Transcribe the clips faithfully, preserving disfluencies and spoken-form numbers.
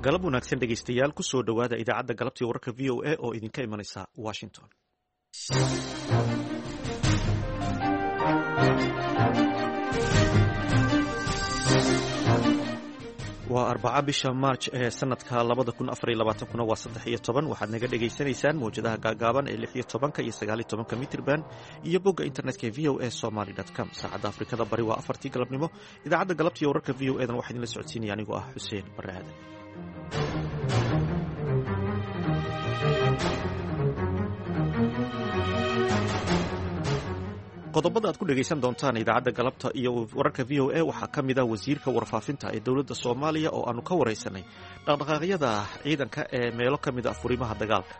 Galab wanaagsan, dhegaystayaal. Kusoo dhowaada idaacadda galabtii wararka V O A oo idinka imanaysa Washington. Waa Arbaca, bisha Maarj ee sanadka labada kun afariyo labaatankuna waa saddex iyo toban. Waxaad naga dhagaysanaysaan mawjadaha gaagaaban ee lix iyo tobanka iyo sagaaliyo tobanka mitrban iyo bogga internetka ee V O A Somaly com. Saacadda Afrikada Bari waa afartii galabnimo. Idaacadda galabtiiyo wararka V O E dan waxaa idinla socodsiinaya anigoo ah Xuseen Barre Aadan. Qodobada aad ku dhegaysan doontaan idaacadda galabta iyo wararka V O A waxaa ka mid ah wasiirka warfaafinta ee dowladda Soomaaliya oo aanu ka waraysanay dhaqdhaqaaqyada ciidanka ee meelo ka mid ah furimaha dagaalka.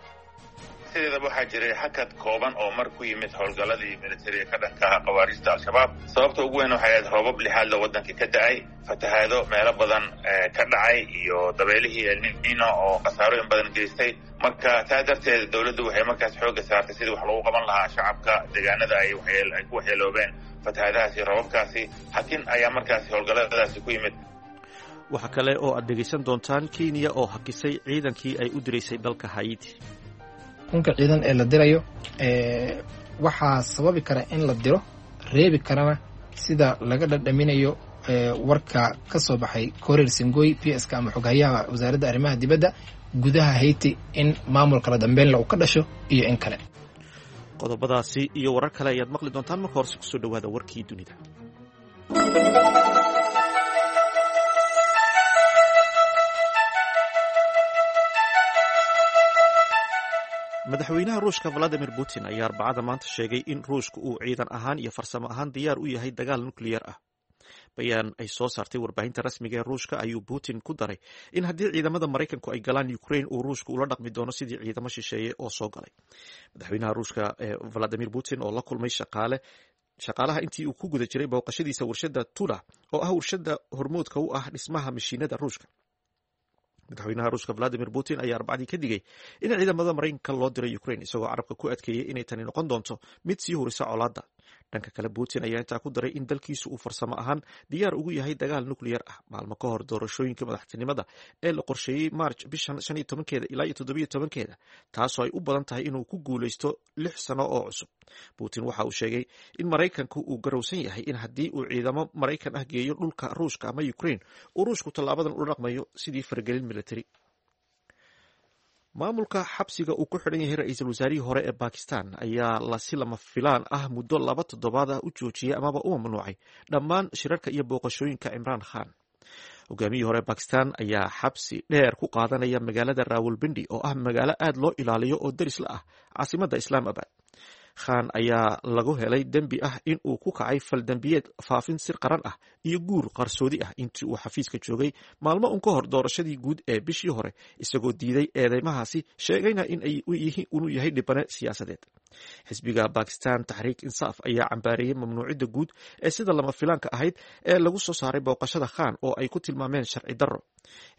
Sideedaba waxaa jiray hakad kooban oo mar ku yimid howlgalladii militariga ka dhanka ah khawaarijta Al-Shabaab. Sababta ugu weyn waxay ahayd roobab lixaadla waddanka ka da'ay, fatahaado meelo badan ka dhacay iyo dabeelihii Elnino oo khasaarooyin badan geystay. Marka taa darteed dowladdu waxay markaas xoogga saartay sidii wax lagu qaban lahaa shacabka deegaanada ay ay ku waxyeeloobeen fatahaadahaasi iyo roobabkaasi. Hakin ayaa markaasi howlgalladaasi ku yimid. Waxaa kale oo aad dhegaysan doontaan Kenya oo hakisay ciidankii ay u diraysay dalka Haiti. Kunka ciidan ee la dirayo waxaa sababi kara in la diro, reebi karana, sida laga dhadhaminayo warka ka soo baxay Korir Singoy, P S ka ama xoghayaha wasaaradda arrimaha dibadda, gudaha Haiti in maamul kala dambeynla uu ka dhasho iyo in kale. Qodobadaasi iyo warar kale ayaad maqli doontaan. Marka horese kusoo dhowaada warkii dunida. Madaxweynaha Ruushka Valadimir Putin ayaa Arbacada maanta sheegay in Ruushka uu ciidan ahaan iyo farsamo ahaan diyaar u yahay dagaal nukliyar ah. Bayaan ay soo saartay warbaahinta rasmiga ee Ruushka ayuu Putin ku daray in haddii ciidamada Maraykanku ay galaan Ukraine, uu Ruushka ula dhaqmi doono sidii ciidamo shisheeye oo soo galay. Madaxweynaha Ruushka Valadimir Putin oo la kulmay shaqaale shaqaalaha intii uu ku guda jiray booqashadiisa warshadda Tula, oo ah warshadda hormoodka u ah dhismaha mashiinada Ruushka. Madaxweynaha Ruushka Valadimir Putin ayaa Arbacadii ka digay in ciidamada Maraykanka loo diray Ukraine, isagoo carabka ku adkeeyey inay tani noqon doonto mid sii hurisa colaadda. Dhanka kale, Putin ayaa intaa ku daray in dalkiisu uu farsamo ahaan diyaar ugu yahay dagaal nukliyar ah, maalmo ka hor doorashooyinka madaxtinimada ee la qorsheeyey March bishan shan iyo tobankeeda ilaa iyo toddobiyo tobankeeda, taasoo ay u badan tahay inuu ku guuleysto lix sano oo cusub. Putin waxa uu sheegay in Maraykanku uu garowsan yahay in haddii uu ciidamo Maraykan ah geeyo dhulka Ruushka ama Ukraine, uu Ruushku tallaabadan ula dhaqmayo sidii faragelin military. Maamulka xabsiga uu ku xidhan yahay ra-iisul wasaarihii hore ee Bakistan ayaa la si lama filaan ah muddo laba toddobaad ah u joojiyey amaba u mamnuucay dhammaan shirarka iyo booqashooyinka Cimraan Khan. Hogaamiyihii hore Bakistan ayaa xabsi dheer ku qaadanaya magaalada Rawalbindi, oo ah magaalo aad loo ilaaliyo oo deris la ah caasimadda Islaamabad. Khan ayaa lagu helay dembi ah in uu ku kacay faldembiyeed faafin sir qaran ah iyo guur qarsoodi ah intii uu xafiiska joogay, maalmo un ka hor doorashadii guud ee bishii hore, isagoo diiday eedeymahaasi, sheegayna inuu yahay dhibane siyaasadeed. Xisbiga Bakistan Taxriik Insaaf ayaa cambaareeyey mamnuucidda guud ee sida lama filaanka ahayd ee lagu soo saaray booqashada Khan, oo ay ku tilmaameen sharci darro.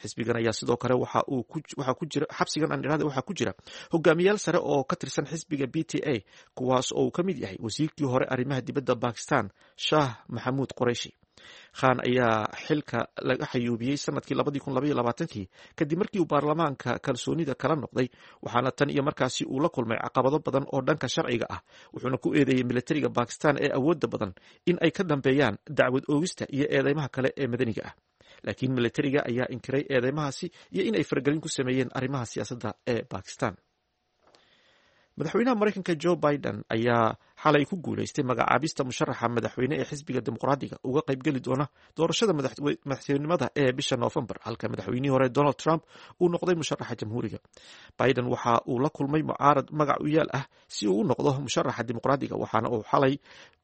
Xisbigan ayaa sidoo kale waxaa ku jira xabsigan aan idhahda waxaa ku jira hogaamiyaal sare oo ka tirsan xisbiga P T I, kuwaas oo uu ka mid yahay wasiirkii hore arrimaha dibadda Bakistan, Shaah Maxamuud Qoreyshi. Khan ayaa xilka laga xayuubiyey sanadkii labadii kun labaiyo labaatankii kadib markii uu baarlamaanka kalsoonida kala noqday, waxaana tan iyo markaasi uu la kulmay caqabado badan oo dhanka sharciga ah, wuxuuna ku eedeeyey militariga Bakistan ee awoodda badan in ay ka dambeeyaan dacwad oogista iyo eedeymaha kale ee madaniga ah. Laakiin militariga ayaa inkiray eedeymahaasi iyo in ay faragelin ku sameeyeen arrimaha siyaasadda ee Bakistan. Madaxweynaha Maraykanka Joe Biden ayaa xalay ku guuleystay magacaabista musharaxa madaxweyne ee xisbiga Dimuqraadiga uga qaybgeli doona doorashada madaxtinimada ee bisha Noofembar, halka madaxweynihii hore Donald Trump uu noqday musharaxa Jamhuuriga. Biden waxa uu la kulmay mucaarad magac u yaal ah si uu u noqdo musharaxa Dimuqraadiga, waxaana uu xalay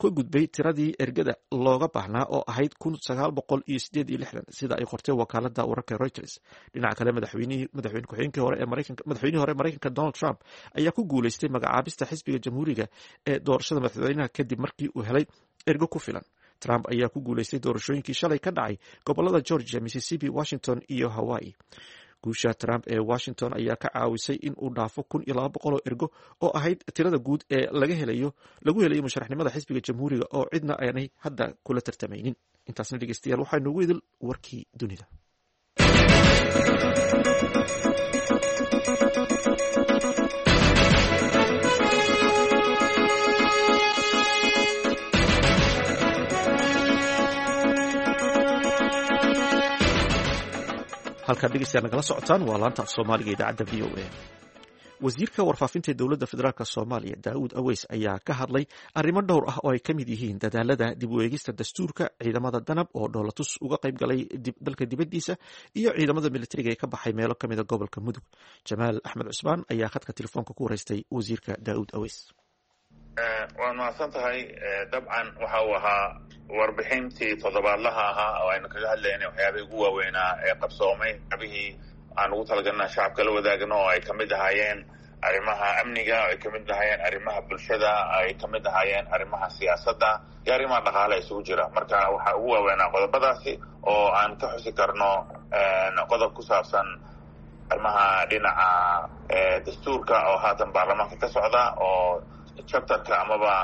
ka gudbay tiradii ergada looga baahnaa oo ahayd kun sagaal boqol iyo sideed iyo lixdan, sida ay qortay wakaalada wararka Reuters. Dhinaca kale, madaxweynihii madaxweyne ku-xigeenkii hore ee Maraykanka, madaxweynihii hore Maraykanka Donald Trump ayaa ku guuleystay magacaabista xisbiga Jamhuuriga ee doorashada madaxweynaha kadib markii uu helay ergo ku filan. Trump ayaa ku guuleystay doorashooyinkii shalay ka dhacay gobolada Georgia, Mississippi, Washington iyo Hawaii. Guusha Trump ee Washington ayaa ka caawisay in uu dhaafo kun iyo laba boqol oo ergo oo ahayd tirada guud ee laga helayo lagu helayo musharaxnimada xisbiga Jamhuuriga, oo cidna aanay hadda kula tartamaynin. Intaasna, dhegeystayaal, waxaa noogu idil warkii dunida. Halkaad dhegeystayaal nagala socotaan waa laanta af Soomaaliga idaacadda V O A. Wasiirka warfaafinta ee dowladda federaalk Soomaaliya Daawud Aweys ayaa ka hadlay arrimo dhowr ah oo ay ka mid yihiin dadaalada dib u eegista dastuurka, ciidamada danab oo dhoolatus uga qayb galay dalka dibaddiisa iyo ciidamada militariga ee ka baxay meelo ka mida gobolka Mudug. Jamaal Axmed Cusmaan ayaa khadka telefoonka ku wareystay wasiirka Daawud Aweys. Waad mahadsan tahay. Dabcan waxa uu ahaa warbixintii toddobaadlaha ahaa oo aynu kaga hadlaynay waxyaabihii ugu waaweynaa ee qabsoomay, waxyaabihii aan ugu talagalna shacabka la wadaagno oo ay kamid ahaayeen arrimaha amniga, ay kamid ahaayeen arrimaha bulshada, ay kamid ahaayeen arrimaha siyaasadda iyo arrimaha dhaqaale isugu jira. Marka waxaa ugu waaweynaa qodobadaasi oo aan ka xusi karno qodob ku saabsan arrimaha dhinaca dastuurka oo haatan baarlamaanka ka socda oo chapterka amaba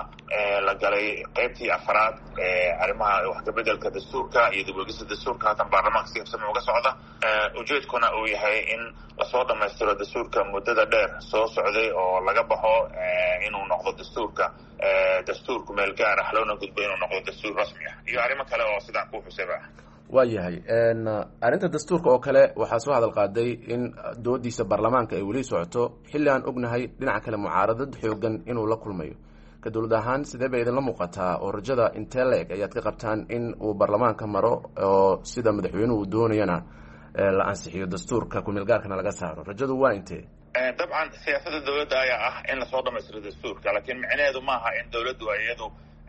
la galay qaybtii afaraad ee arrimaha wax kabedelka dastuurka iyo dib uegista dastuurka haatan baarlamaanka si habsami uga socda. Ujeedkuna uu yahay in lasoo dhammaystiro dastuurka muddada dheer soo socday oo laga baxo inuu noqdo dastuurka dastuurku meel gaar ah, loona gudbo inuu noqdo dastuur rasmi ah iyo arrimo kale oo sidaan kuu xusayba ah. Waa yahay. Arrinta dastuurka oo kale waxaa soo hadal qaaday in doodiisa baarlamaanka ay weli socoto xilli aan ognahay dhinaca kale mucaaradad xoogan inuu la kulmayo. Ka dowlad ahaan sidee bay idinla muuqataa oo rajada intee la-eg ayaad ka qabtaan in uu baarlamaanka maro oo sida madaxweynuhu doonayana la ansixiyo dastuurka kumeelgaarkana laga saaro? Rajadu waa intee? Dabcan siyaasadda dowladda ayaa ah in lasoo dhamaystiro dastuurka, laakiin micnaheedu maaha in dowladdu iyadu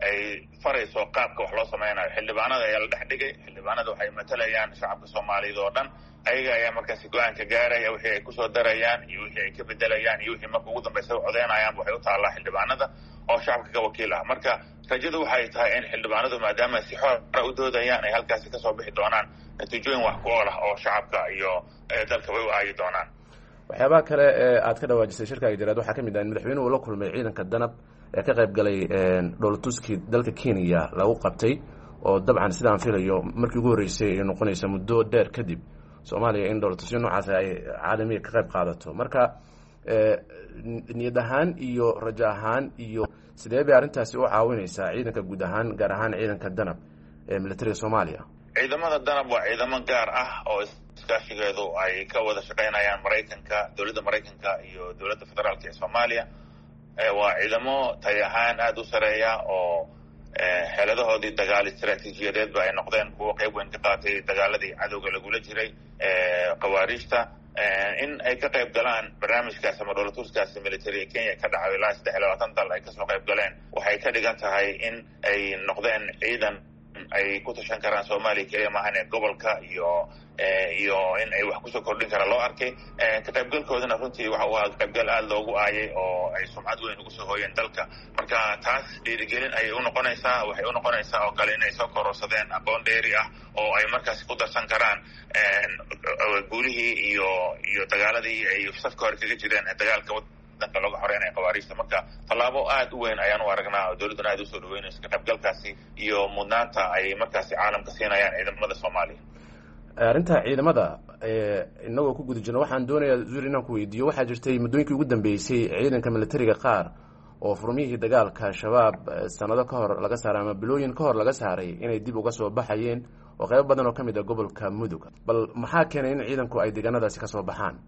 ay farayso qaabka wax loo sameynayo. Xildhibaanada ayaa la dhex dhigay, xildhibaanada waxay matalayaan shacabka Soomaaliyeed oo dhan, ayaga ayaa markaasi go-aanka gaaraya wixii ay kusoo darayaan iyo wixii ay ka bedelayaan iyo wixii marka ugu dambaysa u codeynayaan. Waxay u taallaa xildhibaanada oo shacabka ka wakiil ah. Marka rajadu waxay tahay in xildhibaanadu maadaama si xora u doodayaan ay halkaasi kasoo bixi doonaan natiijooyin wax ku ool ah oo shacabka iyo dalka way u aayi doonaan. Waxyaabaha kale ee aad ka dhawaajisay shirkaaga jaraad waxaa ka mid ah in madaxweynuhu uu la kulmay ciidanka danab ee ka qayb galay dhoolatuskii dalka Kenya lagu qabtay, oo dabcan sidaan filayo markii ugu horreysay ay noqonaysa muddo dheer kadib Soomaaliya in dhoolatusyo noocaas ay caalamiga ka qayb qaadato. Marka niyad ahaan iyo rajo ahaan iyo sidee bay arrintaasi u caawinaysaa ciidanka guud ahaan, gaar ahaan ciidanka danab ee militariga Soomaaliya? Ciidamada danab waa ciidamo gaar ah oo iskaashigeedu ay ka wada shaqeynayaan Maraykanka, dowladda Maraykanka iyo dowladda federaalka ee Soomaaliya. Waa ciidamo tay ahaan aada u sareeya oo xeeladahoodii dagaal istaraatiijiyadeedba ay noqdeen kuwo qayb weyn ka qaatay dagaaladii cadowga lagula jiray khawaariijta. In ay ka qayb galaan barnaamijkaas ama dhoolatuskaasi military Kenya ka dhacay ilaa saddex iyo labaatan dal ay kasoo qayb galeen waxay ka dhigan tahay in ay noqdeen ciidan ay ku tashan karaan Soomaaliya keliya maahan ee gobolka iyo iyo in ay wax kusoo kordhin karaan loo arkay. Ka qaybgalkoodana runtii waxa uu ahaa qaybgal aada loogu aayay oo ay sumcad weyn ugu soo hooyeen dalka. Marka taas dhiirigelin ayay unoqonaysaa, waxay unoqonaysaa oo kale inay soo kororsadeen aqoon dheeri ah oo ay markaasi ku darsan karaan guulihii iyo iyo dagaaladii ay safka hore kaga jireen ee dagaalka wadanka looga xoreynaya khawaariijta. Marka tallaabo aada u weyn ayaan u aragnaa oo dowladduna aada usoo dhaweynayso ka qaybgalkaasi iyo mudnaanta ay markaasi caalamka siinayaan ciidamada Soomaaliya. Arrinta ciidamada inagoo ku guda jirna waxaan doonayaa zuur inaan ku weydiiyo, waxaa jirtay muddooyinkii ugu dambeysay ciidanka militariga qaar oo furmihii dagaalka Shabaab sanado ka hor laga saaray ama bilooyin ka hor laga saaray inay dib uga soo baxayeen oo qaybo badan oo ka mid ah gobolka Mudug. Bal maxaa keenay in ciidanku ay deegaanadaasi kasoo baxaan?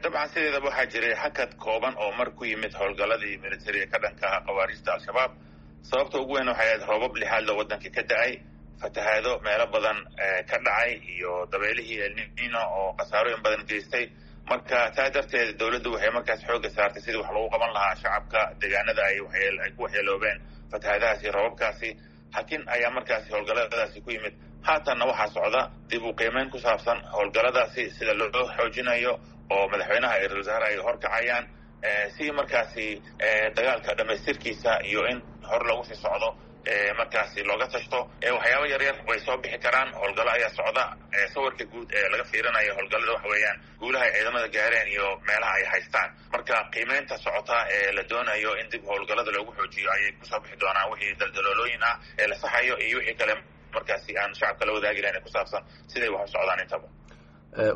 Dabcan sideedaba waxaa jiray hakad kooban oo mar ku yimid howlgalladii militariga ka dhanka ah khawaariijta Al-Shabaab. Sababta ugu weyn waxay ahayd roobab lixaadla waddanka ka da-ay, fatahaado meelo badan ka dhacay iyo dabeelihii elnino oo khasaarooyin badan geystay. Marka taa darteed dowladdu waxay markaas xoogga saartay sidii wax lagu qaban lahaa shacabka deegaanada ay ay ku waxyeeloobeen fatahaadahaasi iyo roobabkaasi. Hakin ayaa markaasi howlgalladaasi ku yimid. Haatanna waxaa socda dib u qiimeyn ku saabsan howlgalladaasi sida loo xoojinayo oo madaxweynaha iyo ra-isul wasaare ay horkacayaan si markaasi dagaalka dhamaystirkiisa iyo in hor lagu sii socdo markaasi looga tashto. Waxyaaba yaryar way soo bixi karaan, howlgallo ayaa socda. Sawirka guud ee laga fiirinayo howlgallada waxa weeyaan guulaha ay ciidamada gaareen iyo meelaha ay haystaan. Marka qiimeynta socota ee la doonayo in dib howlgallada loogu xoojiyo ayay kusoo bixi doonaan wixii daldaloolooyin ah ee la saxayo iyo wixii kale markaasi aan shacabka la wadaagi lahayn ee ku saabsan siday wax u socdaan intaba.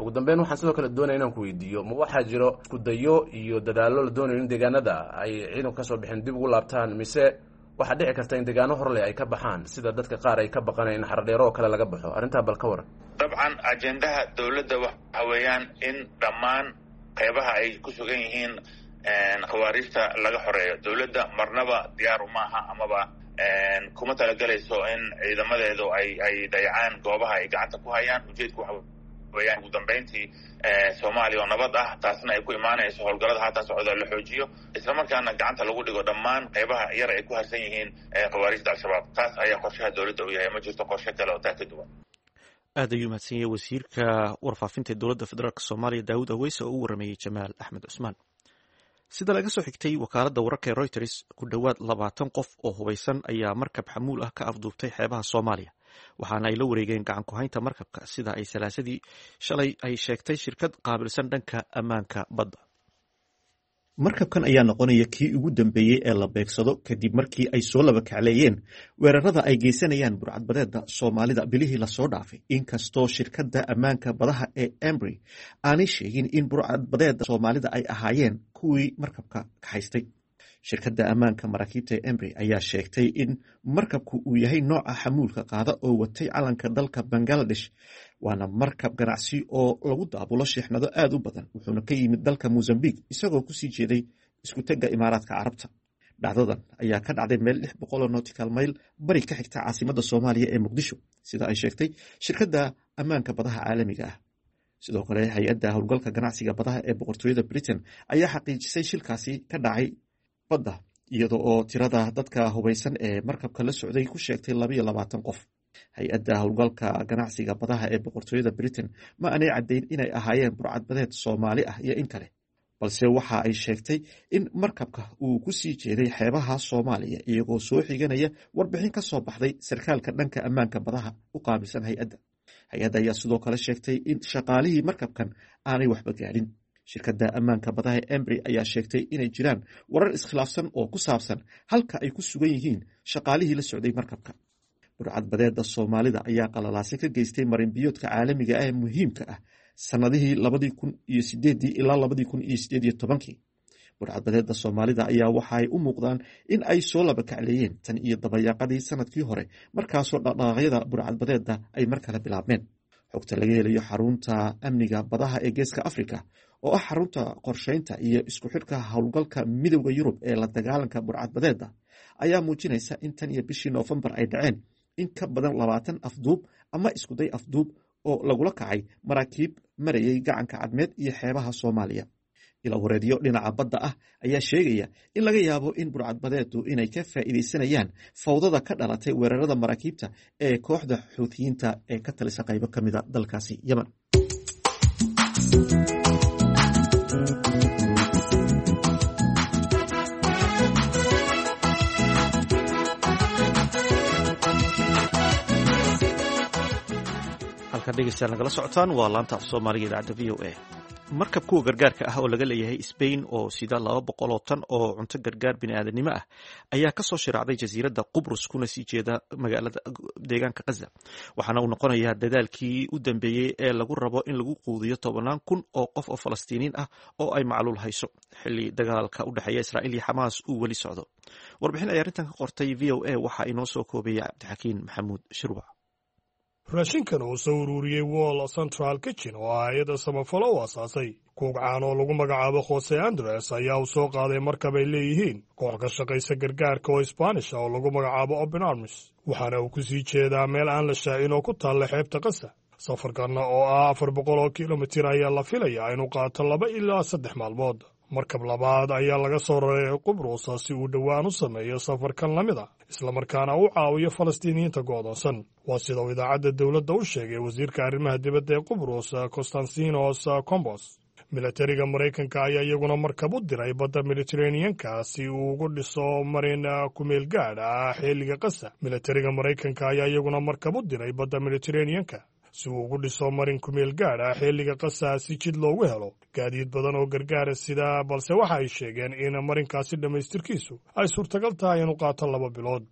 Ugu dambeyn waxaan sidoo kale doonaya inaan ku weydiiyo, ma waxaa jiro iskudayo iyo dadaallo la doonayo in deegaanada ay ciidanku kasoo bixin dib ugu laabtaan, mise waxaa dhici karta in deegaano horleh ay ka baxaan, sida dadka qaar ay ka baqanayan in Xaradheero oo kale laga baxo? Arrintaa bal ka waran. Dabcan ajendaha dowladda waxa weeyaan in dhammaan qeybaha ay ku sugan yihiin khawaariijta laga xoreeyo. Dowladda marnaba diyaar umaaha amaba kuma talagelayso in ciidamadeedu ay ay dayacaan goobaha ay gacanta ku hayaan. Ujeedku waxa weeyaan ugu dambeyntii Soomaaliya oo nabad ah, taasna ay ku imaanayso howlgallada haatan socda la xoojiyo, islamarkaana gacanta lagu dhigo dhammaan qeybaha yar ay ku harsan yihiin khawaariijta Al-Shabaab. Taas ayaa qorshaha dowladda u yahay, ma jirto qorshe kale oo taa ka duwan. Aad ayuu mahadsan yahay wasiirka warfaafinta dowladda federaalk Soomaaliya Daawud Aweyse oo u warameeyey Jamaal Axmed Cusmaan. Sida laga soo xigtay wakaaladda wararka ee Reuters, ku dhowaad labaatan qof oo hubaysan ayaa markab xamuul ah ka afduubtay xeebaha Soomaaliya, waxaana ay la wareegeen gacan ku-haynta markabka, sida ay salaasadii shalay ay sheegtay shirkad qaabilsan dhanka ammaanka badda. Markabkan ayaa noqonaya kii ugu dambeeyey ee la beegsado kadib markii ay soo laba kacleeyeen weerarada ay geysanayaan burcadbadeeda Soomaalida bilihii lasoo dhaafay, inkastoo shirkadda ammaanka badaha ee Embry aanay sheegin in burcadbadeeda Soomaalida ay ahaayeen kuwii markabka kaxaystay. Shirkadda ammaanka maraakiibta ee Embry ayaa sheegtay in markabku uu yahay nooca xamuulka qaada oo watay calanka dalka Bangaladesh, waana markab ganacsi oo lagu daabulo sheexnado aad u badan, wuxuuna ka yimid dalka Mozambique isagoo kusii jeeday isku-tegga Imaaraadka Carabta. Dhacdadan ayaa ka dhacday meel lix boqol oo nautical mile bari ka xigta caasimadda Soomaaliya ee Muqdisho, sida ay sheegtay shirkadda ammaanka badaha caalamiga ah. Sidoo kale hay-adda howlgalka ganacsiga badaha ee boqortooyada Britain ayaa xaqiijisay shilkaasi ka dhacay badda, iyada oo tirada dadka hubaysan ee markabka la socday ku sheegtay labayo labaatan qof. Hay-adda howlgalka ganacsiga badaha ee boqortooyada Britain ma aanay caddayn inay ahaayeen burcadbadeed Soomaali ah iyo in kale, balse waxa ay sheegtay in markabka uu ku sii jeeday xeebaha Soomaaliya, iyagoo soo xiganaya warbixin ka soo baxday sarkaalka dhanka ammaanka badaha u qaabilsan hay-adda. Hay-adda ayaa sidoo kale sheegtay in shaqaalihii markabkan aanay waxba gaadhin. Shirkadda ammaanka badaha ee Embry ayaa sheegtay inay jiraan warar iskhilaafsan oo ku saabsan halka ay ku sugan yihiin shaqaalihii la socday markabka. Burcadbadeeda Soomaalida ayaa qalalaase ka geystay marinbiyoodka caalamiga ah ee muhiimka ah sanadihii labadii kun iyo sideedii ilaa labadii kun iyo sideed iyo tobankii. Burcadbadeeda Soomaalida ayaa waxa ay u muuqdaan in ay soo laba kacleeyeen tan iyo dabayaaqadii sanadkii hore, markaasoo dhaqdhaqaaqyada burcadbadeeda ay mar kale bilaabmeen. Xogta laga helayo xarunta amniga badaha ee Geeska Afrika, oo ah xarunta qorsheynta iyo isku xidhka howlgalka Midowda Yurub ee la dagaalanka burcadbadeeda, ayaa muujinaysa in tan iyo bishii Noofembar ay dhaceen in ka badan labaatan afduub ama iskuday afduub oo lagula kacay maraakiib marayay gacanka Cadmeed iyo xeebaha Soomaaliya. Ilawareedyo dhinaca badda ah ayaa sheegaya in laga yaabo in burcadbadeedu inay ka faa'iidaysanayaan fawdada ka dhalatay weerarada maraakiibta ee kooxda Xuutiyiinta ee ka talisa qaybo ka mida dalkaasi Yemen. Halkaad dhegeystayaal nagala socotaan waa laanta af Soomaaliga idaacadda V O A. Markab kuwa gargaarka ah oo laga leeyahay Spain oo sida laba boqol oo tan oo cunto gargaar bini'aadanimo ah ayaa kasoo shiraacday jasiiradda Qubrus kuna sii jeeda magaalada deegaanka Khaza, waxaana uu noqonayaa dadaalkii u dambeeyey ee lagu rabo in lagu quudiyo tobanaan kun oo qof oo Falastiiniin ah oo ay macluul hayso xilli dagaalka u dhexeeya Israa'iil iyo Xamaas uu weli socdo. Warbixin ay arrintan ka qortay V O A waxaa inoo soo koobeeyay Cabdixakiin Maxamuud Shirwac. Raashinkan uu soo ururiyey Wall Central Kitchen oo ah hay-adda samafalo u asaasay kuug caan oo lagu magacaabo Jose Andres ayaa uu soo qaaday markab ay leeyihiin koox ka shaqaysa gargaarka oo Isbaanish ah oo lagu magacaabo Open Arms, waxaana uu ku sii jeedaa meel aan la shaacin oo ku taalla xeebta Qasa. Safarkanna oo ah afar boqol oo kilomitir ayaa la filayaa inuu qaato laba ilaa saddex maalmood. Markab labaad ayaa laga soo raray Qubrusa si uu dhowaan u sameeyo safarkan la mid a, islamarkaana u caawiyo Falastiiniyiinta go'doonsan. Waa sida uu idaacadda dowladda u sheegay wasiirka arrimaha dibadda ee Qubrus, Constantinos Combos. Milatariga Maraykanka ayaa iyaguna markab u diray badda Mediteraneanka si uu ugu dhiso marin kumeel gaadh ah xilliga Qasa. Milatariga Maraykanka ayaa iyaguna markab u diray badda Mediteraneanka si uu ugu dhiso marin kumeel gaadh ah xilliga Qasa si jid loogu helo gaadiid badan oo gargaara sida, balse waxa ay sheegeen in marinkaasi dhammaystirkiisu ay suurtagal tahay inuu qaato laba bilood.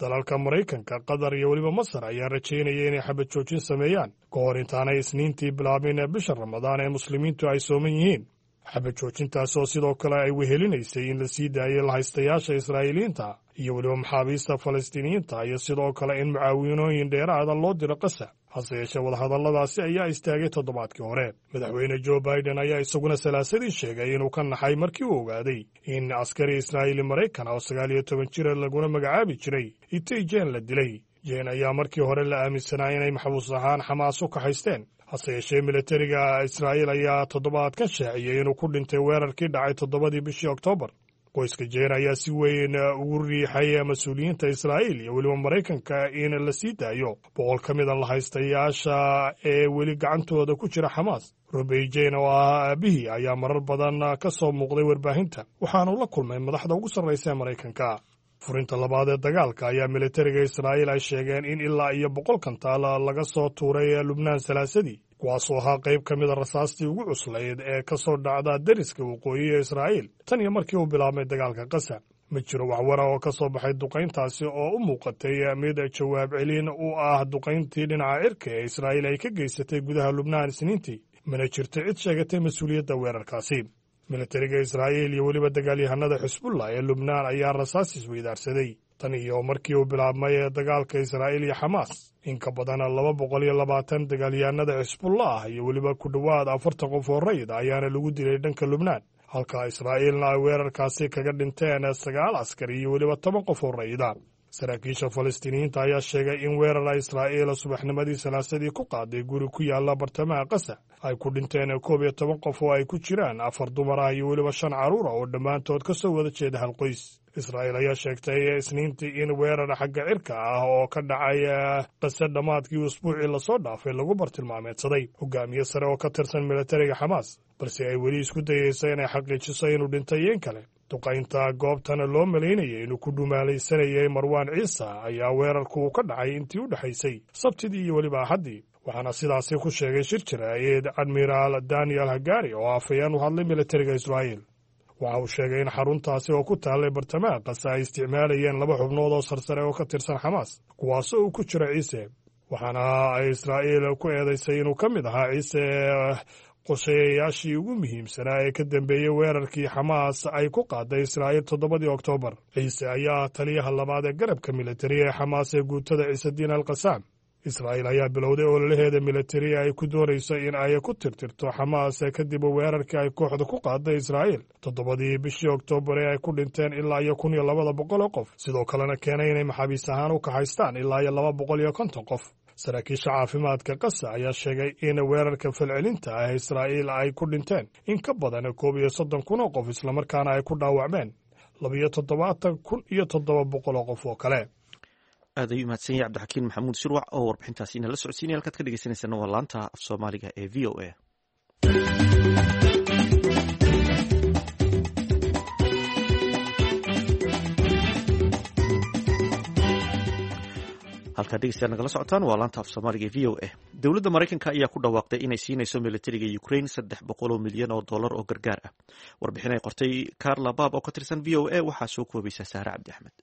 Dalalka Maraykanka, Qatar iyo weliba Masar ayaa rajaynaya inay xabad joojin sameeyaan ka hor intaanay Isniintii bilaabin ee bisha Ramadaan ee Muslimiintu ay sooman yihiin. Xabad joojintaas oo sidoo kale ay wehelinaysay in la sii daayay lahaystayaasha Israa'iiliyiinta iyo weliba maxaabiista Falastiiniyiinta, iyo sidoo kale in mucaawiinooyin dheeraada loo diro Qasa. Hase yeeshee, wadahadalladaasi ayaa istaagay toddobaadkii hore. Madaxweyne Joe Biden ayaa isaguna Salaasadii sheegay inuu ka naxay markii uu ogaaday in askari Israa'iili Maraykan oo sagaal iyo toban jira, laguna magacaabi jiray Itay Jen, la dilay. Jen ayaa markii hore la aaminsanaa inay maxbuus ahaan Xamaas u kaxaysteen. Hase yeeshee, militariga Israa'iil ayaa toddobaadkan shaaciyey inuu ku dhintay weerarkii dhacay toddobadii bishii Oktoobar. Qoyska Jeen ayaa si weyn ugu riixay mas-uuliyiinta Israa'iil iyo weliba Maraykanka in la sii daayo boqol ka mida lahaystayaasha ee weli gacantooda ku jira Xamaas. Robey Jane oo ah aabihii ayaa marar badan ka soo muuqday warbaahinta, waxaanu la kulmay madaxda ugu sarraysa ee Maraykanka. Furinta labaad ee dagaalka ayaa militariga Israa'iil ay sheegeen in ilaa iyo boqol kantaal laga soo tuuray Lubnaan Salaasadii, kuwaasoo ahaa qayb ka mida rasaastii ugu cuslayd ee ka soo dhacda deriska waqooyi ee Israa'iil tan iyo markii uu bilaabmay dagaalka Qasa. Ma jiro waxwara oo ka soo baxay duqayntaasi oo u muuqatay mid jawaab celin u ah duqayntii dhinaca cirka ee Israa'iil ay ka geysatay gudaha Lubnaan Isniintii, mana jirto cid sheegatay mas-uuliyadda weerarkaasi. Militariga Israa'iil iyo weliba dagaalyahanada Xisbullah ee Lubnaan ayaa rasaas isweydaarsaday tan iyo markii uu bilaabmay dagaalka Israa'iil iyo Xamaas. In ka badan laba boqol iyo labaatan dagaalyahanada Xisbullah iyo weliba ku dhowaad afartan qof oo rayid ayaana lagu dilay dhanka Lubnaan, halka Israa'iilna ay weerarkaasi kaga dhinteen sagaal askari iyo weliba toban qof oo rayida. Saraakiisha Falastiiniyiinta ayaa sheegay in weerara Israa'iil subaxnimadii Salaasadii ku qaaday guri ku yaala bartamaha Qasa ay ku dhinteen koob iyo toban qof, oo ay ku jiraan afar dumar ah iyo weliba shan carruur ah, oo dhammaantood ka soo wada jeeda hal qoys. Israa'iil ayaa sheegtay Isniintii in weerar xagga cirka ah oo ka dhacay Qase dhammaadkii usbuucii lasoo dhaafay lagu bartilmaameedsaday hogaamiye sare oo ka tirsan militariga Xamaas, balse ay weli isku dayeyso inay xaqiijiso inuu dhintay iyo in kale. Duqaynta goobtana loo malaynayay inuu ku dhumaalaysanayay Marwaan Ciisa ayaa weerarku uu ka dhacay intii u dhexaysay Sabtidii iyo weliba Axaddii, waxaana sidaasi ku sheegay shir jaraa'id Admiraal Daniel Hagari oo afhayeen u hadlay militariga Israa'iil. Waxa uu sheegay in xaruntaasi oo ku taallay bartamaha Qasa ay isticmaalayeen laba xubnood oo sarsare oo ka tirsan Xamaas, kuwaasoo uu ku jiro Ciise, waxaana ay Israa'iil ku eedaysay inuu ka mid ahaa Ciise qorsheeyayaashii ugu muhiimsanaa ee ka dambeeyey weerarkii Xamaas ay ku qaaday Israa'iil toddobadii Oktoobar. Ciise ayaa taliyaha labaad ee garabka militari ee Xamaas ee guutada Ciisediin al Qasaam. Israa'iil ayaa bilowday ololaheeda militari ay ku doonayso in ay ku tirtirto Xamaas kadib weerarkii ay kooxda ku qaaday Israa'iil toddobadii bishii Oktoobar ee ay ku dhinteen ilaa iyo kun iyo labada boqol oo qof, sidoo kalena keenay inay maxaabiis ahaan u kaxaystaan ilaa iyo laba boqol iyo konton qof. Saraakiisha caafimaadka Qasa ayaa sheegay in weerarka falcelinta ah Israa'iil ay ku dhinteen in ka badan koob iyo soddon kun oo qof, islamarkaana ay ku dhaawacmeen labiyo toddobaatan kun iyo toddoba boqol oo qof oo kale. Aad ayuu mahadsan yahay Cabdixakiin Maxamuud Shirwac oo warbixintaasi inala socodsiinaya. Halkaad ka dhegeysaneysana waa laanta af Soomaaliga ee V O A. Halkaad dhegeystayaal nagala socotaan waa laanta af Soomaaliga ee V O A. Dowladda Maraykanka ayaa ku dhawaaqday inay siinayso militariga Ukraine saddex boqol oo milyan oo dollar oo gargaar ah. Warbixin ay qortay Carla Baab oo ka tirsan V O A waxaa soo koobaysa Saare Cabdi Axmed.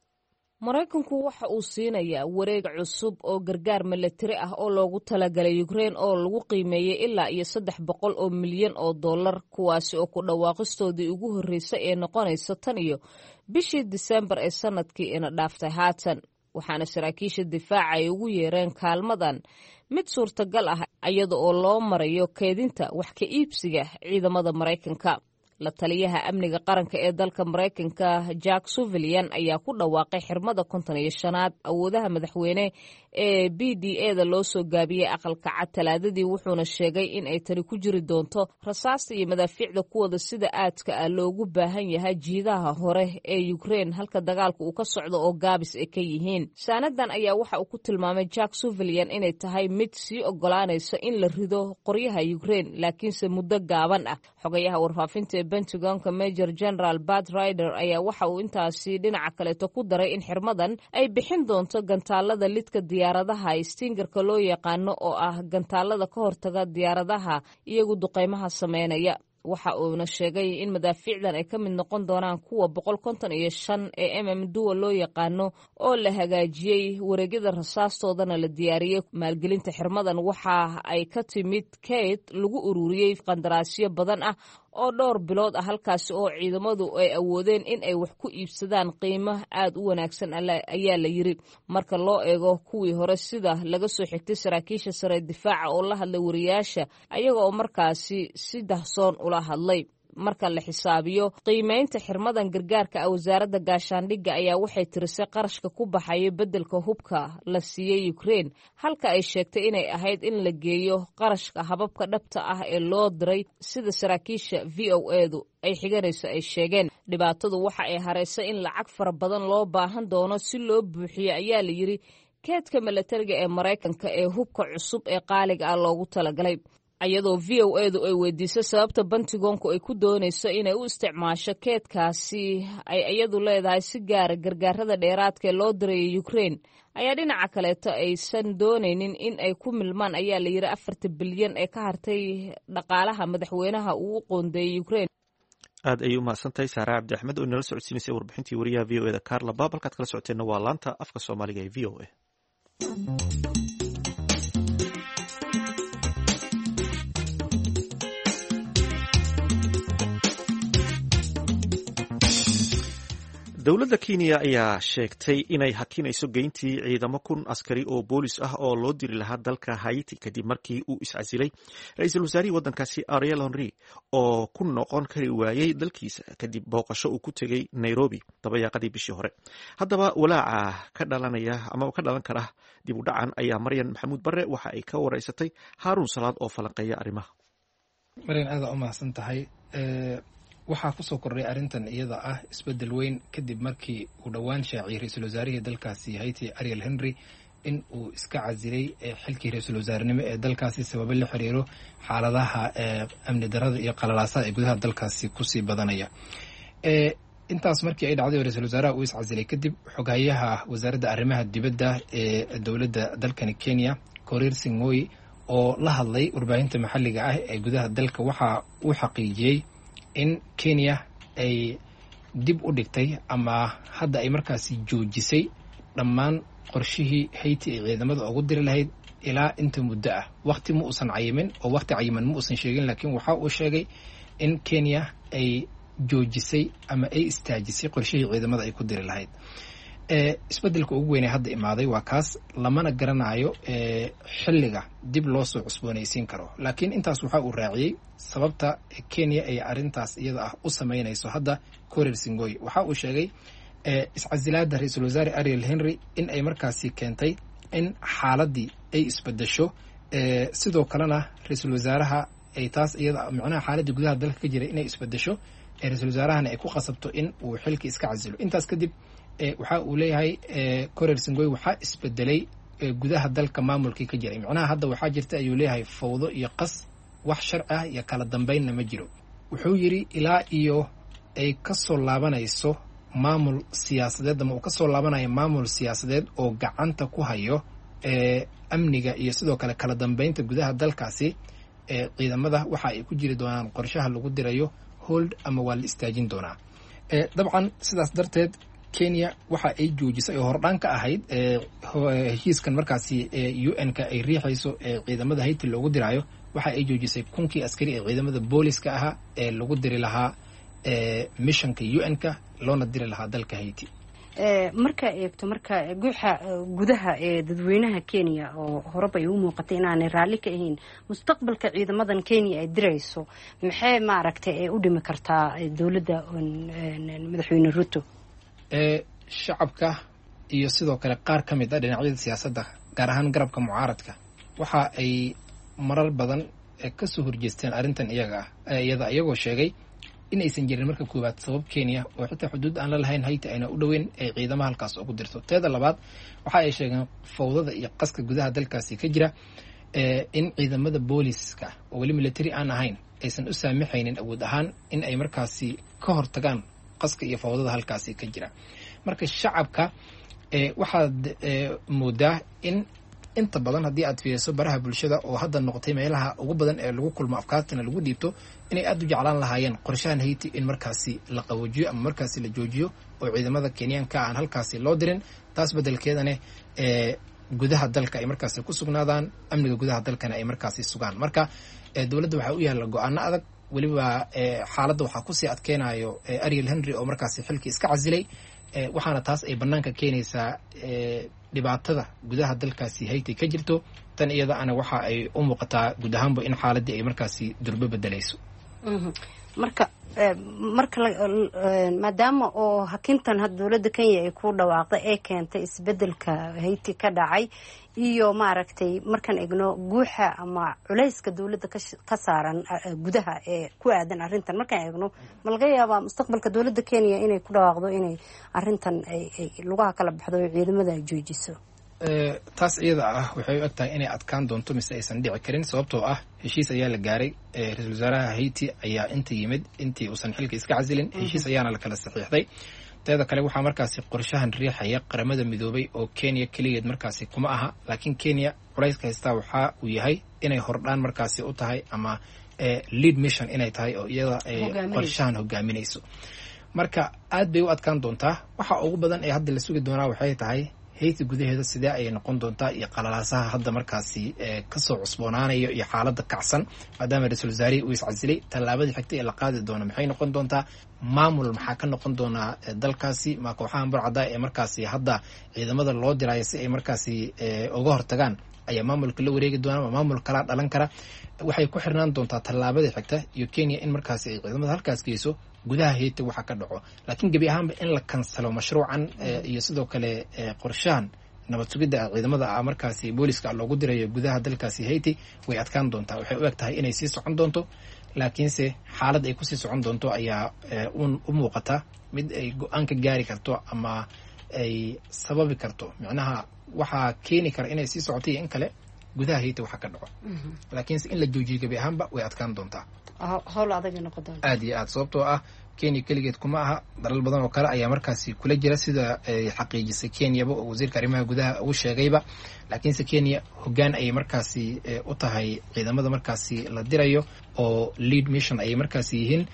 Maraykanku waxa uu siinayaa wareeg cusub oo gargaar milatari ah oo loogu talagalay Ukrein oo lagu qiimeeyey ilaa iyo saddex boqol oo milyan oo dollar, kuwaasi oo ku dhawaaqistoodii ugu horreysay ee noqonaysa tan iyo bishii Disembar ee sanadkii ina dhaaftay haatan. Waxaana saraakiisha difaaca ay ugu yeereen kaalmadan mid suurtagal ah iyada oo loo marayo keedinta wax ka iibsiga ciidamada Maraykanka. La taliyaha amniga qaranka ee dalka Maraykanka Jack Sullivan ayaa ku dhawaaqay xirmada konton iyo shanaad awoodaha madaxweyne ee B D A da loo soo gaabiyey Aqalka Cad Talaadadii, wuxuuna sheegay in ay tani ku jiri doonto rasaasta iyo madaafiicda kuwada sida aadka ah loogu baahan yahay jiidaha hore ee Ukraine halka dagaalka uu ka socdo oo gaabis ay ka yihiin. Saanadan ayaa waxa uu ku tilmaamay Jack Sullivan inay tahay mid sii ogolaanaysa in la rido qoryaha Ukraine, laakiinse muddo gaaban ah. Xogayaha warfaafinta ee Pentagonka Major General Bat Rider ayaa waxa uu intaasi dhinaca kaleeto ku daray in xirmadan ay bixin doonto gantaalada lidka diyaaradaha Stingerka loo yaqaano, oo ah gantaalada ka hortaga diyaaradaha iyagu duqeymaha sameynaya. Waxa uuna sheegay in madaafiicdan ay ka mid noqon doonaan kuwa boqol konton iyo shan ee m m duwa loo yaqaano oo la hagaajiyey, wareegyada rasaastoodana la diyaariyey. Maalgelinta xirmadan waxa ay ka timid kayd lagu ururiyey qandaraasyo badan ah oo dhowr bilood ah, halkaasi oo ciidamadu ay awoodeen in ay wax ku iibsadaan qiimo aad u wanaagsan, ayaa la yiri, marka loo eego kuwii hore, sida laga soo xigtay saraakiisha sare difaaca oo la hadlay wariyaasha, ayaga oo markaasi si dahsoon ula hadlay. Marka la xisaabiyo qiimeynta xirmadan gargaarka ah, wasaaradda gaashaandhigga ayaa waxay tirisay qarashka ku baxaya beddelka hubka la siiyey Ukraine, halka ay sheegtay inay ahayd in la geeyo qarashka hababka dhabta ah ee loo diray, sida saraakiisha V O edu ay xiganayso ay sheegeen. Dhibaatadu waxa ay haraysay in lacag fara badan loo baahan doono si loo buuxiyo, ayaa la yiri, keedka milatariga ee Maraykanka ee hubka cusub ee qaaliga ah loogu talagalay. Iyadoo V O edu ay weydiisay sababta Pentagonku ay ku doonayso inay u isticmaasho keedkaasi ay iyadu leedahay si gaara gargaarada dheeraadka ee loo diraya Ukraine, ayaa dhinaca kaleeto aysan doonaynin in ay ku milmaan, ayaa la yiri, afarta bilyan ee ka hartay dhaqaalaha madaxweynaha uu u qoondeeyey Ukraine. Aad ayay u mahadsantahay Saara Cabdi Axmed oo inala socodsiinaysay warbixintii wariyaha V O eda Carla Baab. Halkaad kala socoteenna waa laanta afka Soomaaliga ee V O A. Dowladda Kenya ayaa sheegtay inay hakinayso geyntii ciidamo kun askari oo boolis ah oo loo diri lahaa dalka Haiti, kadib markii uu iscasilay ra-iisul wasaarihii waddankaasi Ariel Henry oo ku noqon kari waayey dalkiisa kadib booqasho uu ku tegey Nairobi dabayaaqadii bishii hore. Haddaba walaaca ka dhalanaya ama ka dhalan kara dib u dhacan ayaa Maryan Maxamuud Barre waxa ay ka wareysatay Haaruun Salaad oo falanqeeya arrimaha. Maryan, aada u mahadsan tahay. Waxaa kusoo kordhay arrintan iyada ah isbeddel weyn kadib markii uu dhowaan shaaciyey ra-iisul wasaarihii dalkaasi Haiti Ariel Henry in uu iska casilay xilkii ra-iisul wasaarenimo ee dalkaasi, sababo la xiriiro xaaladaha amni darada iyo qalalaasaha ee gudaha dalkaasi kusii badanaya. Intaas markii ay dhacday oo ra-iisul wasaaraha uu iscasilay kadib, xoghayaha wasaaradda arrimaha dibadda ee dowladda dalkani Kenya, Korir Sing'oei, oo la hadlay warbaahinta maxalliga ah ee gudaha dalka, waxa uu xaqiijiyey in Kenya ay dib u dhigtay ama hadda ay markaasi joojisay dhammaan qorshihii Haiti ay ciidamada ugu diri lahayd ilaa inta muddo ah. Waqti ma uusan cayimin oo waqti cayiman ma uusan sheegin, laakiin waxa uu sheegay in Kenya ay joojisay ama ay istaajisay qorshihii ciidamada ay ku diri lahayd. Isbeddelka ugu weynee hadda imaaday waa kaas, lamana garanayo xilliga dib loo soo cusboonaysiin karo. Laakiin intaas waxa uu raaciyey sababta Kenya ay arrintaas iyada ah u sameynayso hadda. Korir Sing'oei waxa uu sheegay iscasilaada ra-iisul wasaare Ariel Henry in ay markaasi keentay in xaaladii ay isbedesho, sidoo kalena ra-iisul wasaaraha ay taas iyada micnaha xaaladii gudaha dalka ka jiray inay isbedesho, ra-iisul wasaarahana ay ku qasabto in uu xilkii iska casilo. Intaas kadib waxa uu leeyahay Korir Sing'oei, waxaa isbedelay gudaha dalka maamulkii ka jiray, micnaha hadda waxaa jirta, ayuu leeyahay, fawdo iyo qas, wax sharci ah iyo kala dambeynna ma jiro. Wuxuu yidhi ilaa iyo ay kasoo laabanayso maamul siyaasadeed ama uu kasoo laabanayo maamul siyaasadeed oo gacanta ku hayo amniga iyo sidoo kale kala dambeynta gudaha dalkaasi, ciidamada waxa ay ku jiri doonaan qorshaha lagu dirayo hold ama waa la istaajin doonaa. Dabcan sidaas darteed Kenya waxa ay joojisay oo hordhaan ka ahayd heshiiskan markaasi U N-ka ay riixayso ee ciidamada Haiti loogu diraayo. Waxa ay joojisay kunkii askari ee ciidamada booliska ahaa ee lagu diri lahaa missionka U N-ka loona diri lahaa dalka Haiti. Markaa eegto marka guuxa gudaha ee dadweynaha Kenya oo horeba ay u muuqatay inaanay raalli ka ahayn mustaqbalka ciidamadan Kenya ay dirayso, maxay maaragtay ay u dhimi kartaa dowladda madaxweyne Ruto? Shacabka iyo sidoo kale qaar ka mid ah dhinacyada siyaasadda, gaar ahaan garabka mucaaradka, waxa ay marar badan kasoo horjeesteen arrintan iyaga ah iyada, iyagoo sheegay in aysan jirin marka koowaad sabab Kenya oo xitaa xuduud aan la lahayn Haiti ayna u dhoweyn ay ciidamaha halkaas ugu dirto. Teeda labaad, waxa ay sheegeen fawdada iyo qaska gudaha dalkaasi ka jira in ciidamada booliska oo weli military aan ahayn aysan u saamixaynin awood ahaan in ay markaasi ka hortagaan qaska iyo fawdada halkaasi ka jira. Marka shacabka waxaad moodaa in Inta badan haddii aad fiiriso baraha bulshada oo hadda noqotay meelaha ugu badan ee lagu kulmo afkaartana lagu dhiibto, inay aada u jeclaan lahaayeen qorshahan Haiti in markaasi la qaboojiyo ama markaasi la joojiyo oo ciidamada Kenyaanka aan halkaasi loo dirin, taas beddelkeedana ee gudaha dalka ay markaasi ku sugnaadaan, amniga gudaha dalkana ay markaasi sugaan. Marka dowladda waxaa u yaalla go-aano adag. Weliba xaaladda waxaa kusii adkeynayo Ariel Henry oo markaasi xilkii iska casilay, waxaana taas ay banaanka keenaysaa dhibaatada gudaha dalkaasi Haiti ka jirto. Tan iyada ana waxa ay u muuqataa guud ahaanba in xaaladii ay markaasi durbo bedelayso. Marka marka maadaama oo hakintan had dowladda Kenya ay ku dhawaaqday ee keentay isbedelka Haiti ka dhacay iyo maaragtay markaan egno guuxa ama culayska dowladda ka saaran gudaha ee ku aadan arrintan, markaan eegno ma laga yaabaa mustaqbalka dowladda Kenya inay ku dhawaaqdo inay arrintan ay lugaha kala baxdo oo ciidamada ay joojiso? Taas iyada ah waxay u eg tahay inay adkaan doonto mise aysan dhici karin, sababtoo ah heshiis ayaa la gaaray. Ra-iisul wasaaraha Haiti ayaa inta yimid intii uusan xilka iska casilin, heshiis ayaana la kala saxiixday. Teeda kale waxaa markaasi qorshahan riixaya Qaramada Midoobay oo Kenya keligeed markaasi kuma aha, laakiin Kenya culayska haystaa waxaa uu yahay inay hordhaan markaasi u tahay ama lead mission inay tahay oo iyada ay qorshahan hogaaminayso. Marka aad bay u adkaan doontaa. Waxa ugu badan ee hadda la sugi doonaa waxay tahay Haiti gudaheeda sidee ayay noqon doontaa iyo qalalaasaha hadda markaasi kasoo cusboonaanayo iyo xaaladda kacsan, maadaama ra-iisul wasaarihii uu iscasilay. Tallaabadii xigtay ee la qaadi doono maxay noqon doontaa? Maamul maxaa ka noqon doonaa dalkaasi? Ma kooxahan burcadda ee markaasi hadda ciidamada loo dirayo si ay markaasi uga hortagaan ayaa maamulka la wareegi doona, ma maamul kalaa dhalan kara? Waxay ku xirnaan doontaa tallaabadii xigta iyo Kenya in markaasi ay ciidamada halkaas geyso gudaha Haiti waxa ka dhaco. Laakiin gebi ahaanba in la kansalo mashruucan iyo sidoo kale qorshahan nabad sugidda ciidamada ah markaasi booliska loogu dirayo gudaha dalkaasi Haiti way adkaan doontaa. Waxay u eg tahay inay sii socon doonto, laakiinse xaalad ay kusii socon doonto ayaa u muuqata mid ay go-aan ka gaari karto ama ay sababi karto. Micnaha waxaa keeni kara inay sii socoto iyo in kale gudaha Haiti waxa ka dhaco, laakiinse in la joojiyo gebi ahaanba way adkaan doontaa. Howl adag noqon doonta aad iyo aad, sababtoo ah Kenya keligeed kuma aha, dalal badan oo kale ayaa markaasi kula jira sida ay xaqiijisay Kenyaba oo wasiirka arrimaha gudaha uu sheegayba. Laakiinse Kenya hoggaan ayay markaasi u tahay ciidamada markaasi la dirayo oo lead mission ayay markaasi yihiin.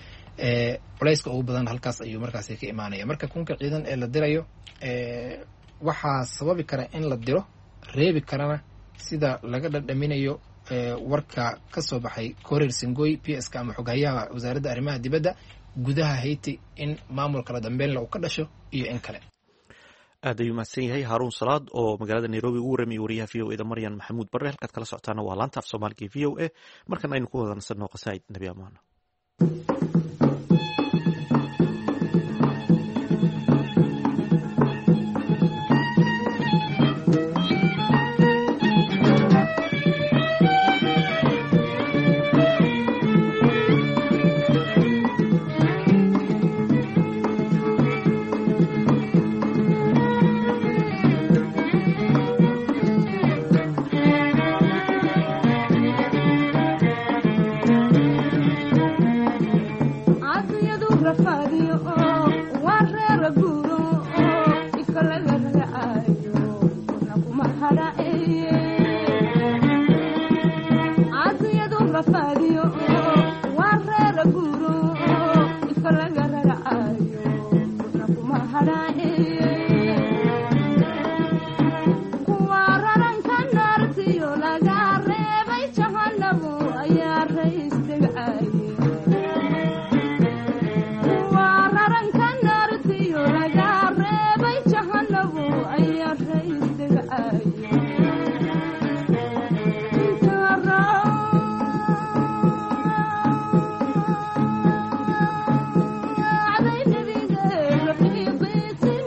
Culayska ugu badan halkaas ayuu markaasi ka imaanaya. Marka kunka ciidan ee la dirayo waxaa sababi kara in la diro, reebi karana sida laga dhadhaminayo warka ka soo baxay Korir Singoy P S ka ama xoghayaha wasaaradda arrimaha dibadda gudaha Haiti in maamul kala dambeynle uu ka dhasho iyo in kale. Aad ayuu mahadsan yahay Haaruun Salaad oo magaalada Nairobi ugu warramayay wariyaha V O E da Maryan Maxamuud Barre. Halkaad kala socotaana waa laanta af Soomaaliga V O A. Markan aynu ku wada nasanno qasaa'id Nebi Amaano.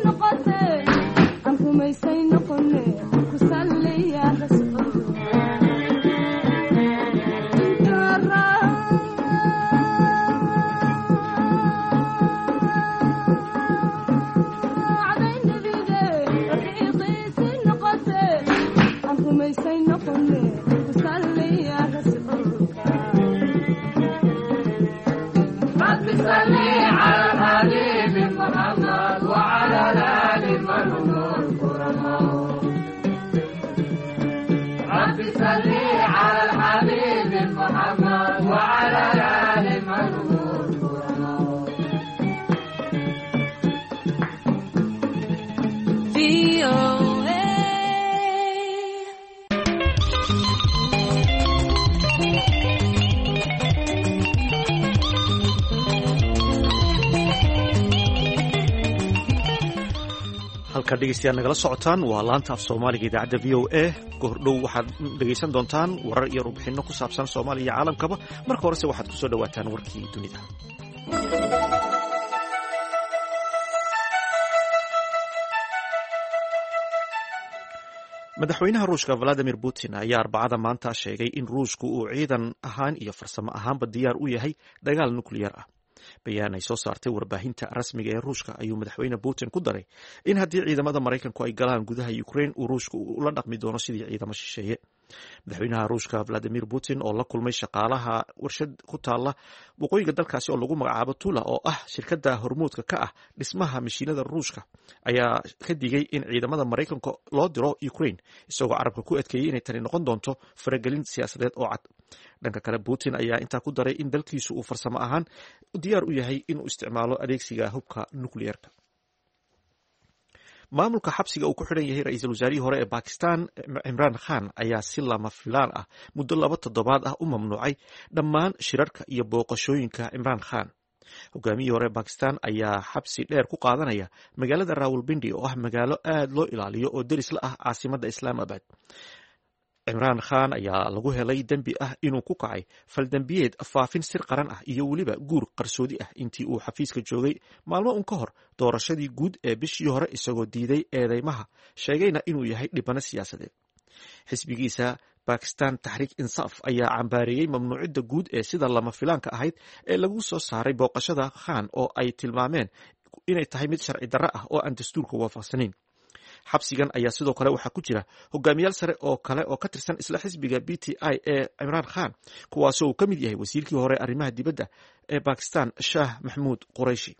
Noqotay. Halkaad dhegeystayaal nagala socotaan waa laanta af soomaaliga idaacadda V O A. Goordhow waxaad dhegeysan doontaan warar iyo warbixinno ku saabsan Soomaaliya iyo caalamkaba. Marka horese waxaad kusoo dhawaataan warkii dunida. Madaxweynaha Ruushka Valadimir Putin ayaa Arbacada maanta sheegay in Ruushku uu ciidan ahaan iyo farsamo ahaanba diyaar u yahay dagaal nukliyar ah. Bayaan ay soo saartay warbaahinta rasmiga ee Ruushka ayuu madaxweyne Putin ku daray in haddii ciidamada Maraykanku ay galaan gudaha Ukraine uu Ruushku ula dhaqmi doono sidii ciidamo shisheeye. Madaxweynaha Ruushka Vladimir Putin oo la kulmay shaqaalaha warshad ku taala waqooyiga dalkaasi oo lagu magacaabo Tula, oo ah shirkadda hormuudka ka ah dhismaha mashiinada Ruushka, ayaa ka digay in ciidamada Maraykanka loo diro Ukraine, isagoo carabka ku adkeeyey inay tani noqon doonto faragelin siyaasadeed oo cad. Dhanka kale, Putin ayaa intaa ku daray in dalkiisu uu farsamo ahaan diyaar u yahay inuu isticmaalo adeegsiga hubka nukliyeerka. Maamulka xabsiga uu ku xidhan yahay ra-iisul wasaarihii hore ee Bakistan Cimraan Khan ayaa si lama filaan ah muddo laba toddobaad ah u mamnuucay dhammaan shirarka iyo booqashooyinka Cimraan Khan. Hogaamiyihii hore ee Bakistan ayaa xabsi dheer ku qaadanaya magaalada Rawalpindi, oo ah magaalo aad loo ilaaliyo oo deris la ah caasimadda Islaamabad. Cimraan Khan ayaa lagu helay dembi ah inuu ku kacay faldembiyeed faafin sir qaran ah iyo weliba guur qarsoodi ah intii uu xafiiska joogay maalmo un ka hor doorashadii guud ee bishii hore, isagoo diiday eedeymaha, sheegayna inuu yahay dhibano siyaasadeed. Xisbigiisa Bakistan Taxriik Insaaf ayaa cambaareeyey mamnuucidda guud ee sida lama filaanka ahayd ee lagu soo saaray booqashada Khan, oo ay tilmaameen inay tahay mid sharci darro ah oo aan dastuurka waafaqsanayn. Xabsigan ayaa sidoo kale waxaa ku jira hogaamiyaal sare oo kale oo ka tirsan isla xisbiga B T I ee Cimraan Khan, kuwaasoo uu ka mid yahay wasiirkii hore arrimaha dibadda ee Bakistan Shaah Maxmuud Qurayshi.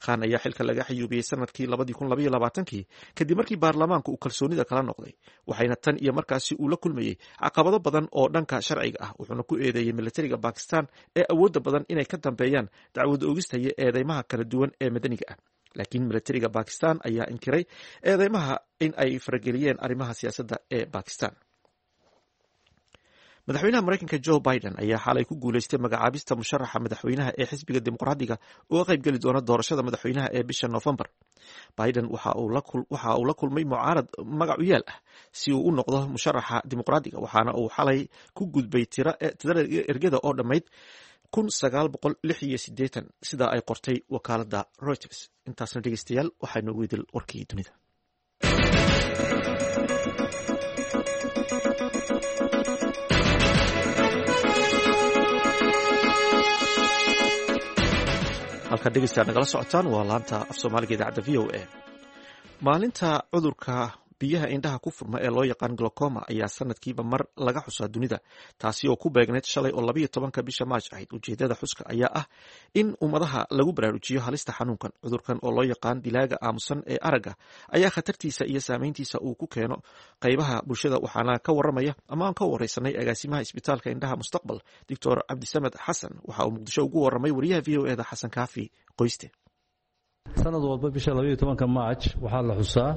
Khan ayaa xilka laga xayuubiyey sanadkii labadii kun labaiyo labaatankii kadib markii baarlamaanku uu kalsoonida kala noqday, waxayna tan iyo markaasi uu la kulmayey caqabado badan oo dhanka sharciga ah, wuxuuna ku eedeeyey militariga Bakistan ee awoodda badan inay ka dambeeyaan dacwad oogista iyo eedeymaha kala duwan ee madaniga ah. Laakiin militariga Bakistan ayaa inkiray eedeymaha in ay farageliyeen arrimaha siyaasadda ee Bakistan. Madaxweynaha Maraykanka Joe Biden ayaa xalay ku guuleystay magacaabista musharaxa madaxweynaha ee xisbiga Dimuqraadiga uga qaybgeli doona doorashada madaxweynaha ee bisha Noofembar. Biden waxa uu la kulmay mucaarad magac u yaal ah si uu u noqdo musharaxa Dimuqraadiga, waxaana uu xalay ku gudbay tirada ergada oo dhammayd kun sagaal boqol lix iyo siddeetan, sidaa ay qortay wakaaladda Reuters. Intaasna dhegeystayaal waxaa noogu idil warkii dunida. Halkaad dhegeystayaal nagala socotaan waa laanta af soomaaliga idaacadda V O A. Maalinta cudurka biyaha indhaha ku furma ee loo yaqaan glaucoma ayaa sanadkiiba mar laga xusaa dunida, taasi oo ku beegneyd shalay oo labayo tobanka bisha Maaj ahayd. Ujeedada xuska ayaa ah in ummadaha lagu baraarujiyo halista xanuunkan. Cudurkan oo loo yaqaan dilaaga aamusan ee aragga ayaa khatartiisa iyo saameyntiisa uu ku keeno qaybaha bulshada, waxaana ka waramaya ama aan ka wareysanay agaasimaha isbitaalka indhaha Mustaqbal, Doctor Cabdisamed Xasan. Waxa uu Muqdisho ugu waramay wariyaha V O E da Xasan Kaafi Qoyste. Sanad walba bisha labaiyo tobanka Maaj waxaa la xusaa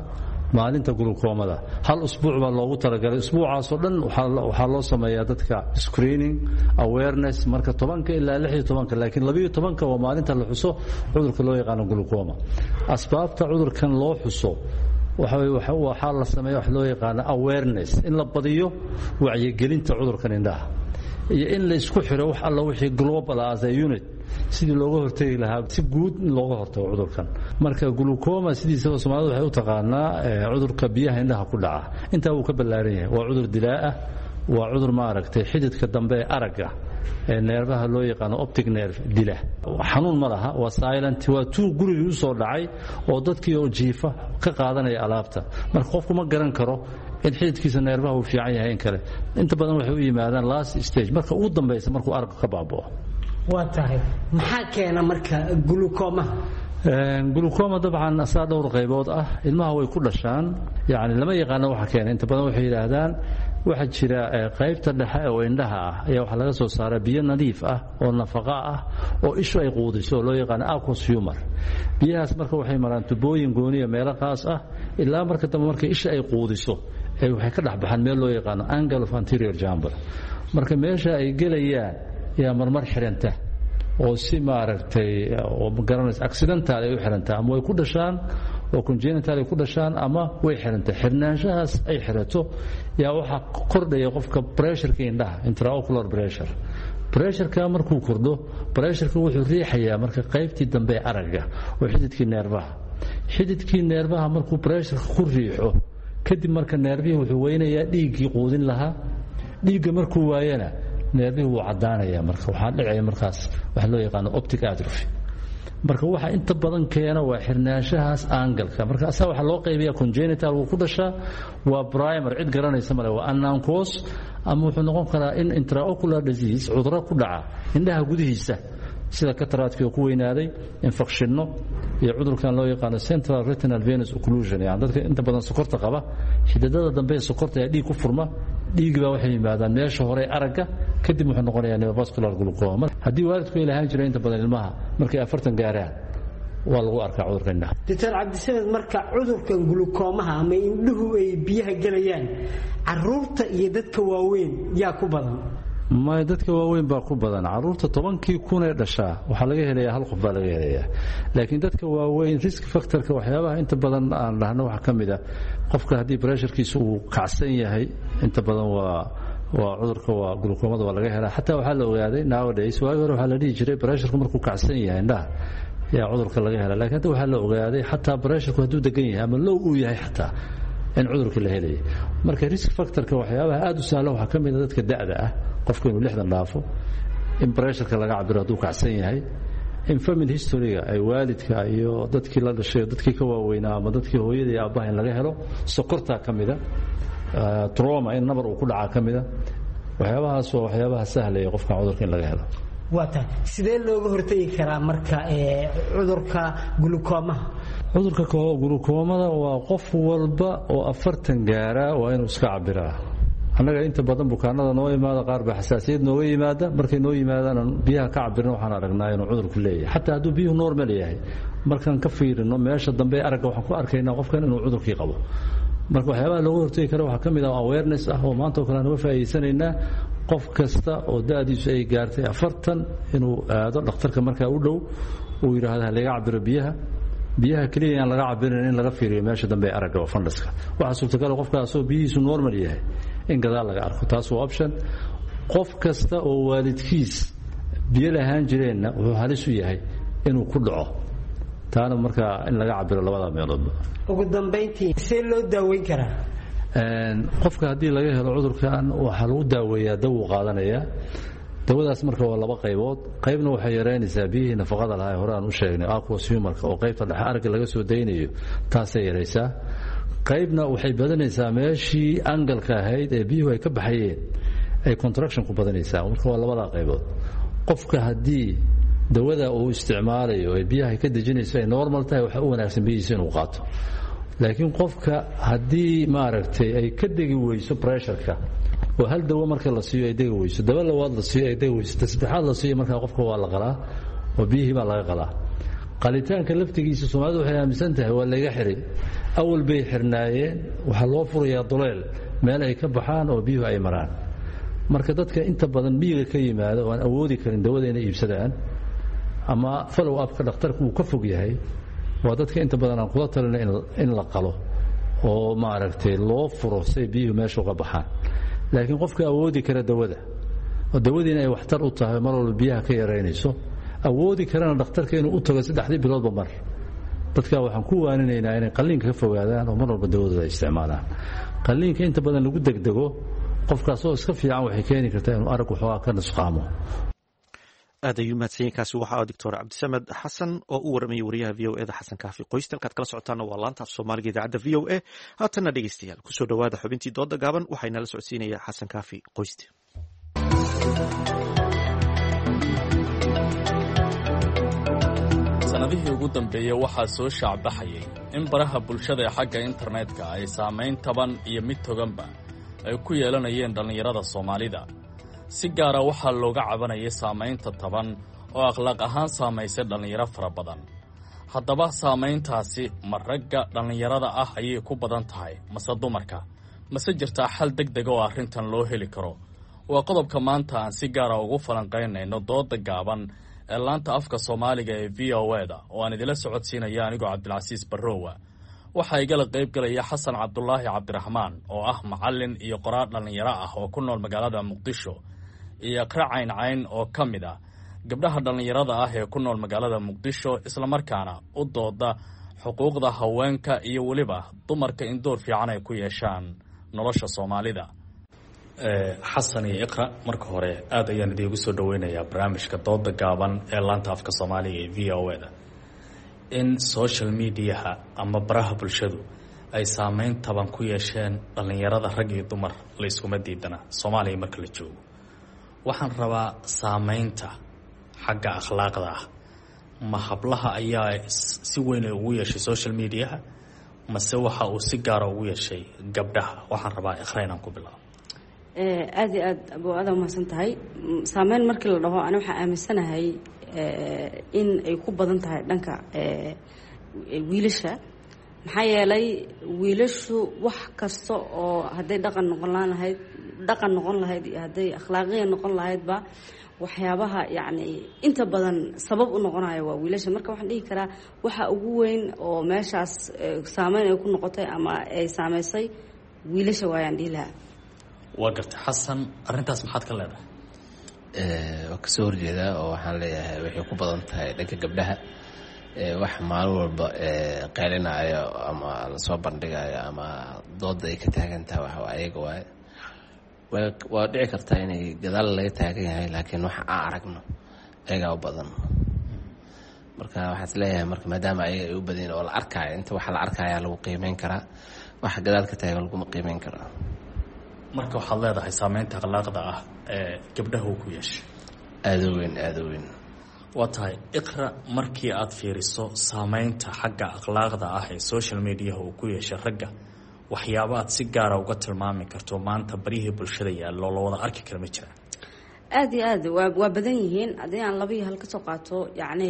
maalinta gulukoomada. Hal usbuuc baa loogu talagalay. Usbuucaasoo dhan waxaa loo sameeyaa dadka screening awareness, marka tobanka ilaa lix iyo tobanka, laakiin labaiyo tobanka waa maalinta la xuso cudurka loo yaqaano gulukooma. Asbaabta cudurkan loo xuso waxaa la sameeya wax loo yaqaano awareness, in la badiyo wacyigelinta cudurkan indhaha iyo in la isku xiro wax alla wixii global as a unit sidii looga hortegi lahaa, si guud in looga hortago cudurkan. Marka glucoma sidiisaba Soomaalida waxay u taqaanaa cudurka biyaha indhaha ku dhaca. Intaa wuu ka ballaaran yahay, waa cudur dilaa ah, waa cudur maaragtay xididka dambe ee aragga ee neerfaha loo yaqaano optic nerve dila. Xanuun ma laha, waa silent, waa tuu gurigii u soo dhacay oo dadkii oo jiifa ka qaadanaya alaabta. Marka qofku ma garan karo in xididkiisa neerfaha uu fiican yahay in kale. Inta badan waxay u yimaadaan last stage, marka ugu dambaysa markuu aragga ka baaba'o. Waa tahay, maxaa keena marka glucoma? Glucoma dabcan asaa dhowr qaybood ah. Ilmaha way ku dhashaan, yani lama yaqaano waxa keena. Inta badan waxay yidhaahdaan waxaa jira qaybta dhexe oo indhaha ah ayaa waxaa laga soo saaraa biyo nadiif ah oo nafaqa ah oo ishu ay quudiso oo loo yaqaano aqueous humor. Biyahaas marka waxay maraan tubooyin gooniya meelo qaas ah, ilaa marka dambe marka isha ay quudiso ee waxay ka dhex baxaan meel loo yaqaano angle of anterior chamber. Marka meesha ay gelayaan yaa marmar xiranta oo si maaragtay oo magaranaysa accidental ay u xirantaa, ama way ku dhashaan oo congenital ay ku dhashaan ama way xirantay. Xirnaanshahaas ay xirato yaa waxaa kordhaya qofka pressureka indhaha, intraocular pressure. Pressureka markuu kordho, pressureka wuxuu riixayaa marka qaybtii dambe ee aragga oo xididkii neerfaha. Xididkii neerfaha markuu pressureka ku riixo kadib, marka neerfihii wuxuu weynayaa dhiiggii quudin lahaa. Dhiigga markuu waayana neerfihii wuu caddaanaya. Marka waxaa dhicaya markaas waxa loo yaqaano optic atrophy. Marka waxa inta badan keena waa xirnaanshahaas angalka. Marka asaa waxaa loo qaybiyaa congenital, wuu ku dhashaa, waa primer, cid garanaysa male, waa unknown cause, ama wuxuu noqon karaa in intraocular disease, cudurro ku dhaca indhaha gudihiisa sida cataract-kii oo ku weynaaday, infectionno iyo cudurkan loo yaqaano central retinal venous occlusion. Yani dadka inta badan sokorta qaba, xididada dambe ee sokorta ayaa dhiig ku furma, dhiigi baa waxay yimaadaan meesha hore aragga, kadib wuxuu noqonayaa neovascular glaucoma. Haddii waalidku ay lahaan jiray, inta badan ilmaha markay afartan gaaraan waa lagu arkaa cudurka indhaha. Doctor Cabdisamed, marka cudurkan gulukoomaha ama indhuhu ay biyaha gelayaan, caruurta iyo dadka waaweyn yaa ku badan? May, dadka waaweyn baa ku badan. Caruurta tobankii kun ee dhashaa waxaa laga helayaa hal qof baa laga helayaa, laakiin dadka waaweyn risk factorka waxyaabaha inta badan aan dhahno waxaa ka mid a qofka haddii pressurekiisa uu kacsan yahay, inta badan waa waa cudurka waa gulukoomada waa laga helaa. Xataa waxaa la ogaaday nowadays, waagi hore waxaa la dhihi jiray pressureku markuu kacsan yahay indhaha yaa cudurka laga helaa, lakiin hadda waxaa la ogaaday xataa pressureku hadduu degan yahay ama low uu yahay xataa in cudurka la helaya. Marka risk factorka waxyaabaha aada u sahlan waxaa ka mid a dadka da'da ah, qofka inuu lixdan dhaafo, in pressureka laga cabiro hadduu kacsan yahay, in family historyga ay waalidka iyo dadkii la dhashay, dadkii ka waaweynaa ama dadkii hooyada iyo aabbaha in laga helo, sokortaa ka mida, trauma in nabar uu ku dhacaa ka mida. Waxyaabahaas waa waxyaabaha sahlaya qofkan cudurka in laga helo. Waa tahay, sidee looga hortegi karaa marka cudurka gulukoomaha? Cudurka gulukoomada waa qof walba oo afartan gaaraa waa inuu iska cabiraa. Annaga inta badan bukaanada noo imaada qaar baa xasaasiyad nooga yimaada. Markay noo yimaadaan biyaha ka cabirna, waxaan aragnaa inuu cudurku leeyahay. Xataa hadduu biyuhu normal yahay, markaan ka fiirino meesha dambe aragga waxaan ku arkaynaa qofkan inuu cudurkii qabo. Marka waxyaabaha looga hortegi kara waxaa ka mid ah awareness ah oo maanta oo kale aan uga faa'iidaysanaynaa, qof kasta oo da'diisu ay gaartay afartan inuu aado dhakhtarka markaa u dhow, uu yidhaahdo ha laga cabiro biyaha. Biyaha keliya aan laga cabirin, in laga fiiriyo meesha dambe ee aragga oo funduska. Waxaa suurtagal qofkaasoo biyihiisu normal yahay in gadaal laga arko. Taas waa option. Qof kasta oo waalidkiis biyo lahaan jireenna wuxuu halis u yahay inuu ku dhaco, taana markaa in laga cabiro labada meeloodba. Ugu dambayntii, see loo daaweyn karaa? Qofka haddii laga helo cudurkan waxaa lagu daaweeyaa dawo qaadanayaa. Dawadaas marka waa laba qaybood. Qaybna waxay yaraynaysaa biyihii nafaqada lahaa ee hore aan u sheegnay, aqueous humorka, oo qaybta dhexe aragga laga soo daynayo, taasay yaraysaa. Qaybna waxay badanaysaa meeshii angalka ahayd ee biyuhu ay ka baxayeen ay contraction ku badanaysaa. Marka waa labadaa qaybood. Qofka haddii dawada uu isticmaalayo ee biyaha ka dejinayso ay normal tahay, waxaa u wanaagsan biyihiisa inuu qaato. Laakiin qofka haddii maaragtay ay ka degi weyso pressureka, oo hal dawo marka la siiyo ay degi weyso, dawo labaad la siiyo ay degi weyso, ta saddexaad la siiyo, markaa qofka waa la qalaa oo biyihii baa laga qalaa. Qalitaanka laftigiisa Soomaalidu waxay aaminsan tahay waa laga xiray. Awal bay xirnaayeen, waxaa loo furayaa duleel meel ay ka baxaan oo biyuhu ay maraan. Marka dadka inta badan miyiga ka yimaada oo aan awoodi karin dawada inay iibsadaan ama follow upka dhakhtarku uu ka fog yahay, waa dadka inta badan aan kula talina in la qalo oo maaragtay loo furo say biyuhu meesha uga baxaan. Laakiin qofka awoodi kara dawada oo dawadiina ay waxtar u tahay, mar walba biyaha ka yaraynayso, awoodi karana dhakhtarka inuu u tago saddexdii biloodba mar, dadka waxaan ku waaninaynaa inay qalliinka ka fogaadaan oo mar walba dawadooda ay isticmaalaan. Qalliinka inta badan lagu degdego qofkaasoo iska fiican waxay keeni kartaa inuu arag waxoogaa ka nusqaamo. Aad ayuu mahadsanyahy. Kaasi waxaa Doctor Cabdisamed Xasan oo u waramayay wariyaha V O E da Xasan Kaafi Qoyste. Halkaad kala socotaana waa laanta af Soomaaliga idaacadda V O A. Haatanna dhegeystayaal kusoo dhowaada xubintii dooda gaaban. Waxaa inala socodsiinaya Xasan Kaafi Qoyste. Sanadihii ugu dambeeyey waxaa soo shaacbaxayay in baraha bulshada ee xagga internetka ay saamayn taban iyo mid toganba ay ku yeelanayeen dhallinyarada Soomaalida. Si gaara waxaa looga cabanayay saamaynta taban oo akhlaaq ahaan saamaysay dhallinyaro fara badan. Haddaba saamayntaasi ma ragga dhallinyarada ah ayay ku badan tahay mase dumarka? Mase jirtaa xal deg dega oo arrintan loo heli karo? Waa qodobka maanta aan si gaara ugu falanqaynayno dooda gaaban ee laanta afka Soomaaliga ee V O E da oo aan idila socodsiinaya anigoo Cabdilcasiis Barrowa. Waxaa igala qayb galaya Xasan Cabdulaahi Cabdiraxmaan oo ah macallin iyo qoraal dhallinyaro ah oo ku nool magaalada Muqdisho, iyo Iqra Cayn Cayn oo ka mid ah gabdhaha dhallinyarada ah ee ku nool magaalada Muqdisho, islamarkaana u dooda xuquuqda haweenka iyo weliba dumarka in door fiican ay ku yeeshaan nolosha Soomaalida. Xasan iyo Iqra, marka hore aad ayaan idiigu soo dhaweynayaa barnaamijka dooda gaaban ee laanta afka Soomaaliga ee V O A da. In social mediaha ama baraha bulshadu ay saameyn taban ku yeesheen dhallinyarada rag iyo dumar la iskuma diidana Soomaaliya marka la joogo. Waxaan rabaa saameynta xagga akhlaaqda ah, ma hablaha ayaa si weyn ugu yeeshay social mediaha mase waxa uu si gaara ugu yeeshay gabdhaha? Waxaan rabaa Iqra inaan ku bilaabo. Aada iyo aad abo aada umahadsan tahay. Saameyn markii la dhaho, ani waxaa aaminsanahay in ay ku badan tahay dhanka wiilasha, maxaa yeelay wiilashu wax kasta oo hadday dhaqan noqon laan lahayd dhaqan noqon lahayd iyo hadday akhlaaqiya noqon lahaydba, waxyaabaha yacni inta badan sabab u noqonayo waa wiilasha. Marka waxaan dhihi karaa waxa ugu weyn oo meeshaas saameyn ay ku noqotay ama ay saameysay wiilasha waayaan dhihi lahaa. Waa gartay. Xasan, arrintaas maxaad ka leedahay? Waa kasoo horjeedaa oo waxaan leeyahay waxay ku badan tahay dhanka gabdhaha. Wax maalin walba qeylinayo ama lasoo bandhigayo ama dooda ay ka taagan tahay waxa ayaga waaye. Waa dhici kartaa inay gadaal laga taagan yahay, laakiin waxa aan aragno ayagaa u badan. Marka waxaan is leeyahay, marka maadaama ayaga ay u badan oo la arkaayo, inta waxa la arkaya lagu qiimeyn karaa, waxa gadaal ka taagan laguma qiimeyn karaa. Marka waxaad leedahay saameynta akhlaaqda ah ee gabdhaha uu ku yeeshay aada u weyn, aada u weyn. Waa tahay. Iqra, markii aad fiiriso saameynta xagga akhlaaqda ah ee social mediaha uu ku yeeshay ragga, waxyaaba aad si gaara uga tilmaami karto maanta baryihii bulshada yaallo la wada arki kara ma jiraan? Aada iyo aad waa waa badan yihiin. Haddii aan laba iyo hal kasoo qaato, yacni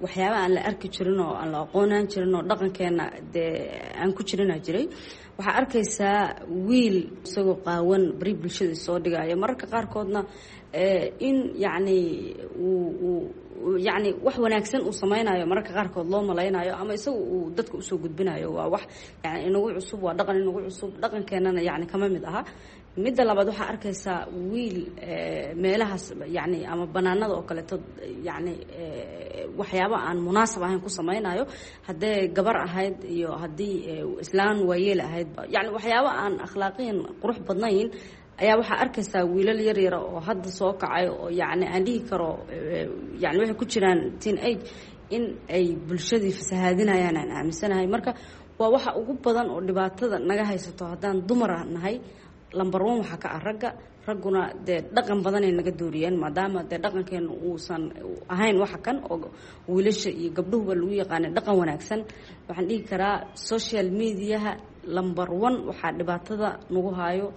waxyaaba aan la arki jirin oo aan la aqoonaan jirin oo dhaqankeena dee aan ku jirina jiray. Waxaa arkaysaa wiil isagoo qaawan bari bulshada soo dhigayo, mararka qaarkoodna in yacni uu uu yacni wax wanaagsan uu sameynayo, mararka qaarkood loo malaynayo ama isaga uu dadka usoo gudbinayo. Waa wax yani inagu cusub, waa dhaqan inagu cusub, dhaqankeenana yacni kama mid aha. Midda labaad, waxaa arkaysaa wiil meelahaas yacni ama banaanada oo kaleeto yacni waxyaaba aan munaasab ahayn ku sameynayo, haddee gabar ahayd iyo haddii islaan waayeel ahayd, yacni waxyaaba aan akhlaaqiyan qurux badnayn ayaa waxaa arkaysaa wiilal yar yara oo hadda soo kacay oo yacni aan dhihi karo yani waxay ku jiraan teen age in ay bulshadii fasahaadinayaan aan aaminsanahay. Marka waa waxa ugu badan oo dhibaatada naga haysato haddaan dumara nahay. Number one waxaa ka ah ragga. Ragguna dee dhaqan badanay naga dooriyeen, maadaama dee dhaqankeena uusan ahayn waxa kan oo wiilasha iyo gabdhuhuba lagu yaqaanay dhaqan wanaagsan. Waxaan dhihi karaa social mediaha number one waxaa dhibaatada nagu haayo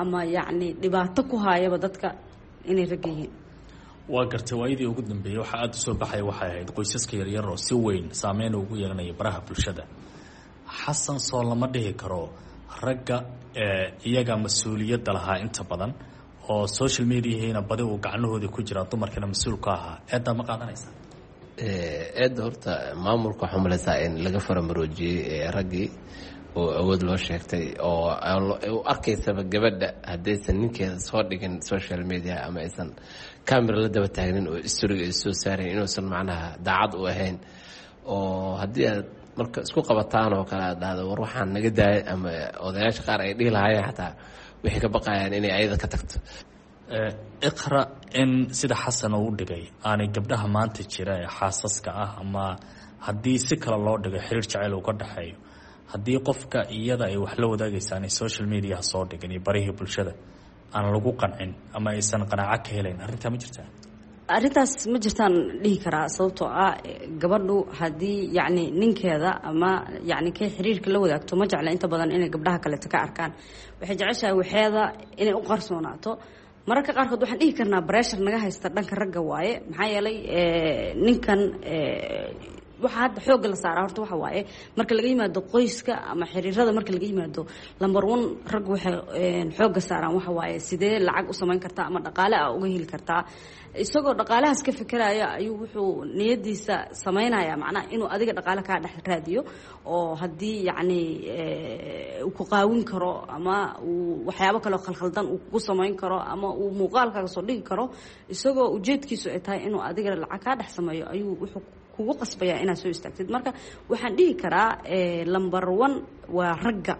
ama yacni dhibaato ku haayaba dadka inay ragga yihiin. Waa gartay. Waayadii ugu dambeeyey waxaa aada usoo baxaya waxay ahayd qoysaska yaryar oo si weyn saameyn ugu yeelanaya baraha bulshada. Xasan, soo lama dhihi karo ragga iyaga mas-uuliyadda lahaa inta badan oo social mediahiina badi uu gacnahoodii ku jiraa, dumarkana mas-uul ka ahaa, eeddaa ma qaadanaysa? Eedda horta maamulka waxaa umalaysaa in laga faramaroojiyey raggii oo awood loo sheegtay oo u arkaysaba gabadha haddaysan ninkeeda soo dhigin social media ama aysan camera la daba taagnin oo istoriga ay soo saarayn inuusan macnaha daacad u ahayn, oo haddii aad marka isku qabataan oo kale aad dhahdo war waxaan naga daayay, ama odayaasha qaar ay dhihi lahaayeen xataa waxay ka baqayaan inay ayada ka tagto. Iqra, in sida Xasan uu dhigay aanay gabdhaha maanta jira ee xaasaska ah ama haddii si kale loo dhigo xiriir jacayl uu ka dhexeeyo, haddii qofka iyada ay wax la wadaagaysa aanay social mediaha soo dhigin iyo barihii bulshada aan lagu qancin ama aysan qanaaco ka helayn, arrintaa ma jirtaa? Arrintaas ma jirtaan dhihi karaa, sababtoo ah gabadhu haddii yacni ninkeeda ama yacni kay xiriirka la wadaagto ma jecla inta badan inay gabdhaha kaleeto ka arkaan. Waxay jeceshahay waxeeda inay u qarsoonaato. Mararka qaarkood waxaan dhihi karnaa breshar naga haysta dhanka ragga waaye, maxaa yeelay ninkan Waxa hadda xoogga la saaraa horta waxa waaye, marka laga yimaado qoyska ama xiriirada, marka laga yimaado, number one rag waxay xoogga saaraan waxa waaye sidee lacag u samayn kartaa ama dhaqaale ah uga heli kartaa. Isagoo dhaqaalahaas ka fikiraya ayuu wuxuu niyadiisa samaynaya, macnaha inuu adiga dhaqaale kaa dhex raadiyo, oo haddii yacni uu ku qaawin karo ama uu waxyaabo kaleo khalkhaldan uu kugu samayn karo ama uu muuqaalkaaga soo dhigi karo, isagoo ujeedkiisu ay tahay inuu adiga lacag kaa dhex sameeyo, ayuu wuxuu kugu qasbayaa inaad soo istaagtid. Marka waxaan dhihi karaa number one waa ragga.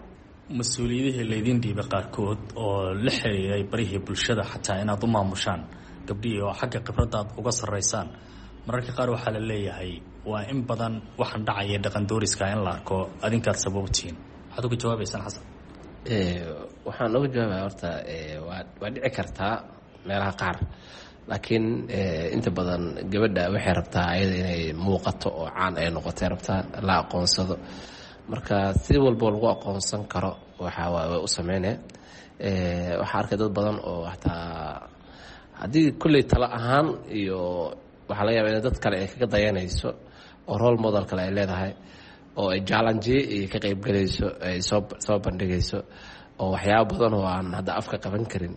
Mas-uuliyadihii laydin dhiibay qaarkood oo la xiriiray barihii bulshada, xataa inaad u maamushaan gabdhihii oo xagga khibradda aad uga sarreysaan, mararka qaar waxaa la leeyahay waa in badan waxaan dhacaya dhaqan dooriska in la arko adinkaad sababtihiin. Maxaad uga jawaabaysaan, Xasan? Waxaan uga jawaabaya horta waa waa dhici kartaa meelaha qaar, laakiin inta badan gabadha waxay rabtaa ayada inay muuqato oo caan ay noqotay rabtaa, la aqoonsado. Marka si walbo lagu aqoonsan karo waxa waay way u sameynee. Waxaa arkay dad badan oo hataa haddii kulley talo ahaan iyo waxaa laga yaba in dad kale ay kaga dayanayso oo role model kale ay leedahay oo ay jallanjiye iyo ka qeybgelayso, ay soo soo bandhigayso oo waxyaaba badan oo aan hadda afka qaban karin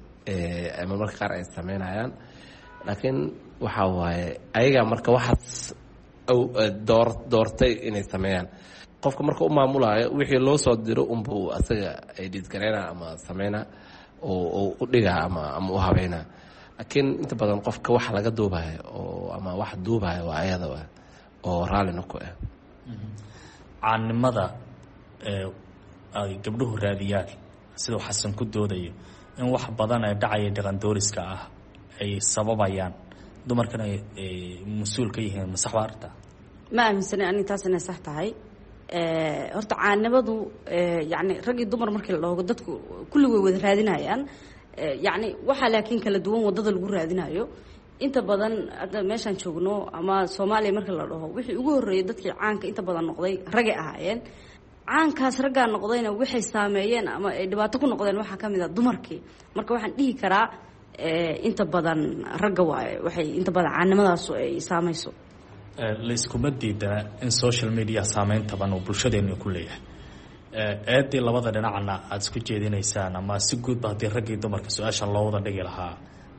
marmarka qaar ay sameynayaan. Laakiin waxa waaye ayaga marka waxaas door doortay inay sameeyaan. Qofka marka u maamulayo wixii loo soo diro unbuu asaga ay dhiidgareyna ama sameyna oo u dhigaa ama ama u habeynaa. Laakiin inta badan qofka wax laga duubayo oo ama wax duubayo waa ayada wa oo raallina ku ah. Caannimada ee ay gabdhuhu raadiyaan, siduu Xasan ku doodayo, in wax badan ee dhacaya dhaqan dooriska ah ay sababayaan, dumarkana ay mas-uul ka yihiin, ma sax baa arrintaa? Ma aaminsanay ani taas inay sax tahay. Horta caanimadu yacni rag iyo dumar markii la dhaho, dadku kulli way wada raadinayaan, yacni waxaa laakiin kala duwan waddada lagu raadinayo. Inta badan hadda meeshaan joogno ama Soomaaliya marka la dhaho, wixii ugu horreeyay dadkii caanka inta badan noqday ragay ahaayeen. Caankaas raggaa noqdayna waxay saameeyeen ama ay dhibaato ku noqdeen waxaa ka mid a dumarkii. Marka waxaan dhihi karaa inta badan ragga waaye waxay inta badan caanimadaasu ay saamayso. Layskuma diidana in social media saameyn taban uu bulshadeenu ku leeyahay. Eedii labada dhinacna aada isku jeedinaysaan ama si guudba haddii raggii dumarka su-aashan loo wada dhigi lahaa,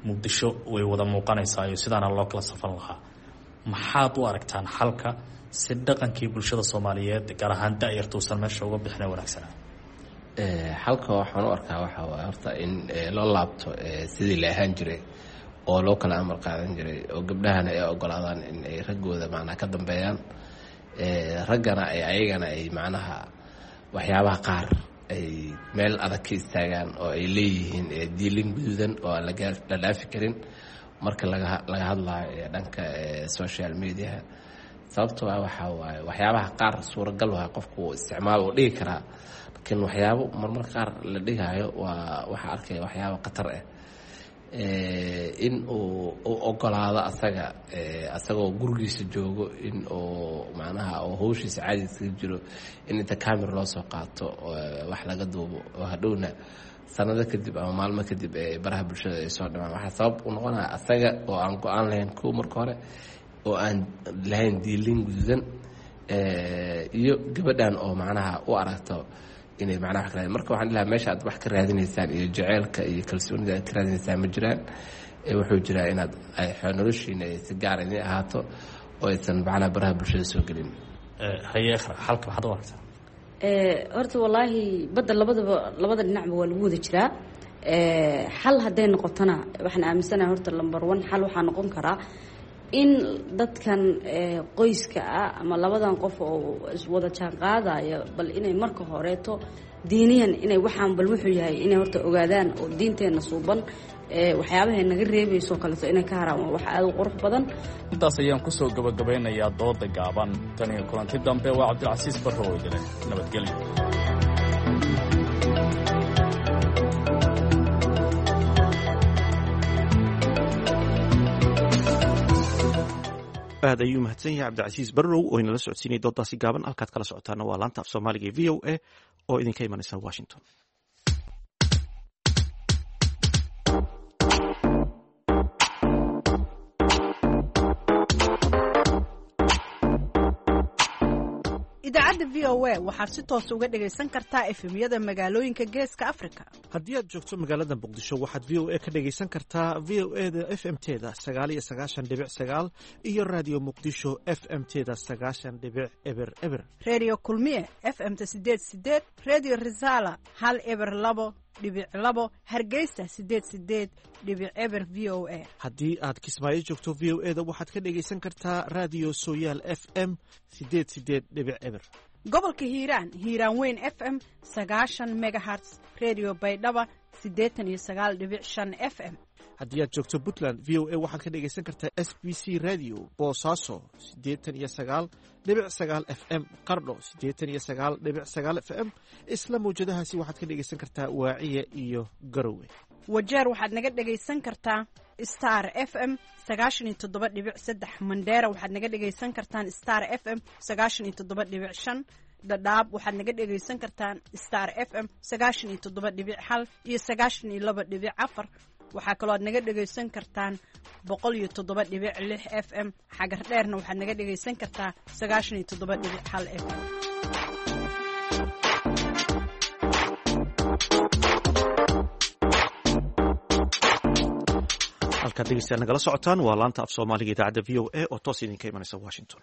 Muqdisho way wada muuqanaysaa iyo sidaana loo kala safan lahaa. Maxaad u aragtaan xalka si dhaqankii bulshada Soomaaliyeed, gaar ahaan da-yarta, uusan meesha uga bixina wanaagsanaa? Xalka waxaan u arkaa waxa waay horta in loo laabto sidii la ahaan jiray oo loo kala amar qaadan jiray, oo gabdhahana ay ogolaadaan in ay raggooda macnaha ka dambeeyaan, raggana ay ayagana ay macnaha waxyaabaha qaar ay meel adag ka istaagaan oo ay leeyihiin diilin guduudan oo aan la dhaafi karin marka laga laga hadlayo dhanka social mediaha. Sababtoo ah waxaa waaye waxyaabaha qaar suuragal waay qofku uu isticmaal uu dhigi karaa, laakiin waxyaabo marmar qaar la dhigayo waa waxaa arkaya waxyaabo khatar ah. In uu u ogolaado asaga asagoo gurigiisa joogo in uu macnaha oo hawshiisa caadi iskaga jiro in inta camera loo soo qaato wax laga duubo oo hadhowna sanado kadib ama maalmo kadib ee baraha bulshada ay soo dhamaan, waxaa sabab u noqonaya asaga oo aan go-aan lahayn kuwa marka hore oo aan lahayn diilin guduudan, iyo gabadhan oo macnaha u aragto inay macnaha wax ka raadin. Marka waxaan dhilahaa meesha aad wax ka raadinaysaan iyo jaceylka iyo kalsoonida aad ka raadinaysaan ma jiraan. Wuxuu jiraa inaad noloshiina ay si gaar idin ahaato oo aysan macnaha baraha bulshada soo gelin. Haye Iqra, xalka maxaad u aragtaa? Horta wallaahi badda labadaba labada dhinacba waa lagu wada jiraa. Xal hadday noqotona, waxaan aaminsanahay horta number one xal waxaa noqon karaa in dadkan qoyska ah ama labadan qof oo iswada jaan qaadaya bal inay marka horeeto diiniyan inay waxaan bal wuxuu yahay inay horta ogaadaan, oo diinteenna suuban waxyaabahay naga reebayso kaleeto inay ka haraan, waa wax aada u qurux badan. Intaas ayaan kusoo gabagabeynayaa dooda gaaban. Tan iyo kulanti dambe, waa Cabdilcasiis Barro oo idile nabadgelyo. Aad ayuu mahadsan yahay Cabdicasiis Barrow oo inala socodsiinaya doodaasi gaaban. Halkaad kala socotaana waa laanta af Soomaaliga ee V O A oo idinka imanaysa Washington. Idaacadda V O A waxaad si toos uga dhegaysan kartaa efemyada magaalooyinka Geeska Afrika. Haddii aad joogto magaalada Muqdisho, waxaad V O A ka dhegaysan kartaa V O E da F M teda sagaal iyo sagaashan dhibic sagaal iyo Raadiyo Muqdisho F M teda sagaashan dhibic eber eber. Redio Kulmiye F M ta sideed sideed, Redio Risala hal eber labo dhibic labo, Hargeysa sideed sideed dhibic eber V O A. Haddii aad Kismaayo joogto, V O E da waxaad ka dhegaysan kartaa Raadiyo Sooyaal F M sideed sideed dhibic eber. Gobolka Hiiraan, Hiiraan Weyn F M sagaashan megaherts, Redio Baydhaba siddeetan iyo sagaal dhibic shan F M. Haddii aad joogto Puntland, V O A waxaad ka dhegaysan kartaa S B C Radio Boosaaso siddeetan iyo sagaal dhibic sagaal F M, Qardho siddeetan iyo sagaal dhibic sagaal F M. Isla mawjadahaasi waxaad ka dhegaysan kartaa Waaciye iyo Garowe. Wajeer waxaad naga dhegaysan kartaa Star F M sagaashan iyo toddoba dhibic saddex. Mandheera waxaad naga dhegaysan kartaan Star F M sagaashan iyo toddoba dhibic shan. Dhadhaab waxaad naga dhegaysan kartaan Star F M sagaashan iyo toddoba dhibic hal iyo sagaashan iyo laba dhibic afar. Waxaa kaloo aad naga dhegaysan kartaan boqol iyo toddoba dhibic lix F M. Xagar dheerna waxaad naga dhegaysan kartaa sagaashan iyo toddoba dhibic hal F M. Halkaad dhegeystayaal nagala socotaan waa laanta af Soomaaliga idaacadda V O A oo toos idinka imanaysa Washington.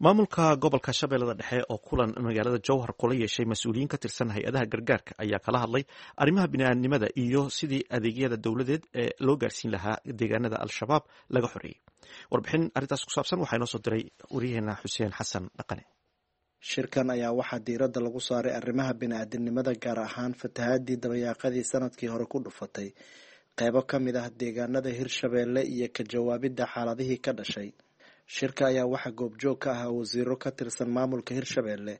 Maamulka gobolka Shabeellada Dhexe oo kulan magaalada Jowhar kula yeeshay mas-uuliyiin ka tirsan hay-adaha gargaarka ayaa kala hadlay arrimaha bini'aadnimada iyo sidii adeegyada dowladeed ee loo gaarsiin lahaa deegaanada Al-Shabaab laga xoreeyey. Warbixin arrintaas ku saabsan waxaa inoo soo diray wariyaheena Xuseen Xasan Dhaqane. Shirkan ayaa waxaa diiradda lagu saaray arrimaha bini'aadinimada, gaar ahaan fatahaadii dabayaaqadii sanadkii hore ku dhufatay qeybo ka mid ah deegaanada Hirshabeelle iyo ka jawaabidda xaaladihii ka dhashay. Shirka ayaa waxaa goobjoog ka ahaa wasiiro ka tirsan maamulka Hirshabeelle,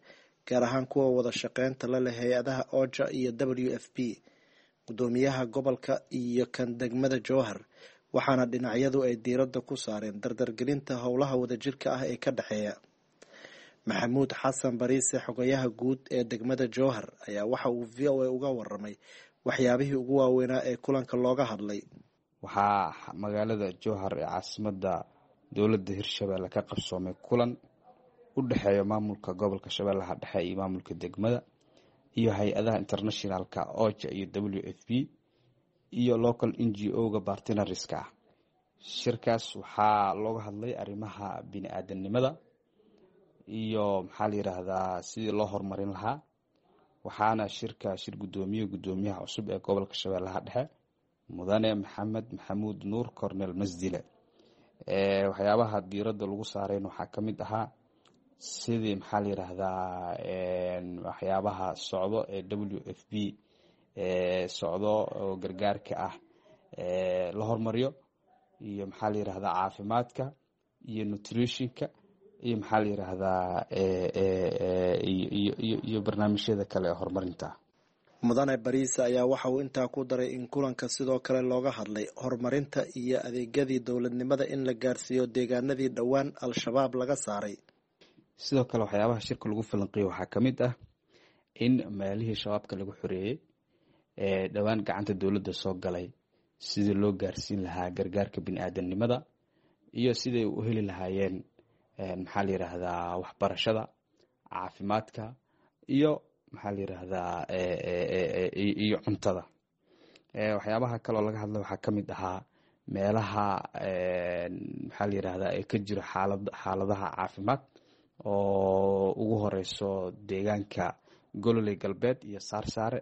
gaar ahaan kuwa wada shaqeynta la leh hay-adaha OJA iyo W F P, guddoomiyaha gobolka iyo kan degmada Jowhar, waxaana dhinacyadu ay diiradda ku saareen dardargelinta howlaha wadajirka ah ee ka dhexeeya. Maxamuud Xasan Bariise, xogayaha guud ee degmada Jowhar, ayaa waxa uu V O A uga waramay waxyaabihii ugu waaweynaa ee kulanka looga hadlay. Waxaa magaalada Jowhar ee caasimadda dowladda Hirshabeelle ka qabsoomay kulan u dhexeeya maamulka gobolka Shabeellaha Dhexe iyo maamulka degmada iyo hay-adaha internationalka OJA iyo W F P iyo local N G O-ga bartinariska ah. Shirkaas waxaa looga hadlay arrimaha bini-aadanimada iyo maxaa la yiraahdaa sidii loo horumarin lahaa. Waxaana shirka shir guddoomiye guddoomiyaha cusub ee gobolka Shabeellaha Dhexe, Mudane Maxamed Maxamuud Nuur Cornel Masdile. Waxyaabaha diiradda lagu saarayn waxaa ka mid ahaa sidii maxaa la yiraahdaa waxyaabaha socdo ee W F P socdo oo gargaarka ah la hormariyo, iyo maxaa la yiraahdaa caafimaadka iyo nutritionka iyo maxaa la yiraahdaa iyo barnaamijyada kale ee horumarinta. Mudane Bariise ayaa waxa uu intaa ku daray in kulanka sidoo kale looga hadlay horumarinta iyo adeegyadii dowladnimada in la gaarsiiyo deegaanadii dhowaan Al-Shabaab laga saaray. Sidoo kale waxyaabaha shirka lagu falanqeeyey waxaa ka mid ah in meelihii shabaabka lagu xoreeyey ee dhowaan gacanta dowladda soo galay sidii loo gaarsiin lahaa gargaarka bini'aadanimada iyo siday u heli lahaayeen maxaa la yiraahdaa waxbarashada, caafimaadka iyo maxaa la yiraahdaa iyo cuntada. Waxyaabaha kaloo laga hadlay waxaa ka mid ahaa meelaha maxaa la yiraahdaa ee ka jiro xaalad xaaladaha caafimaad oo ugu horeyso deegaanka Gololey Galbeed iyo Saarsaare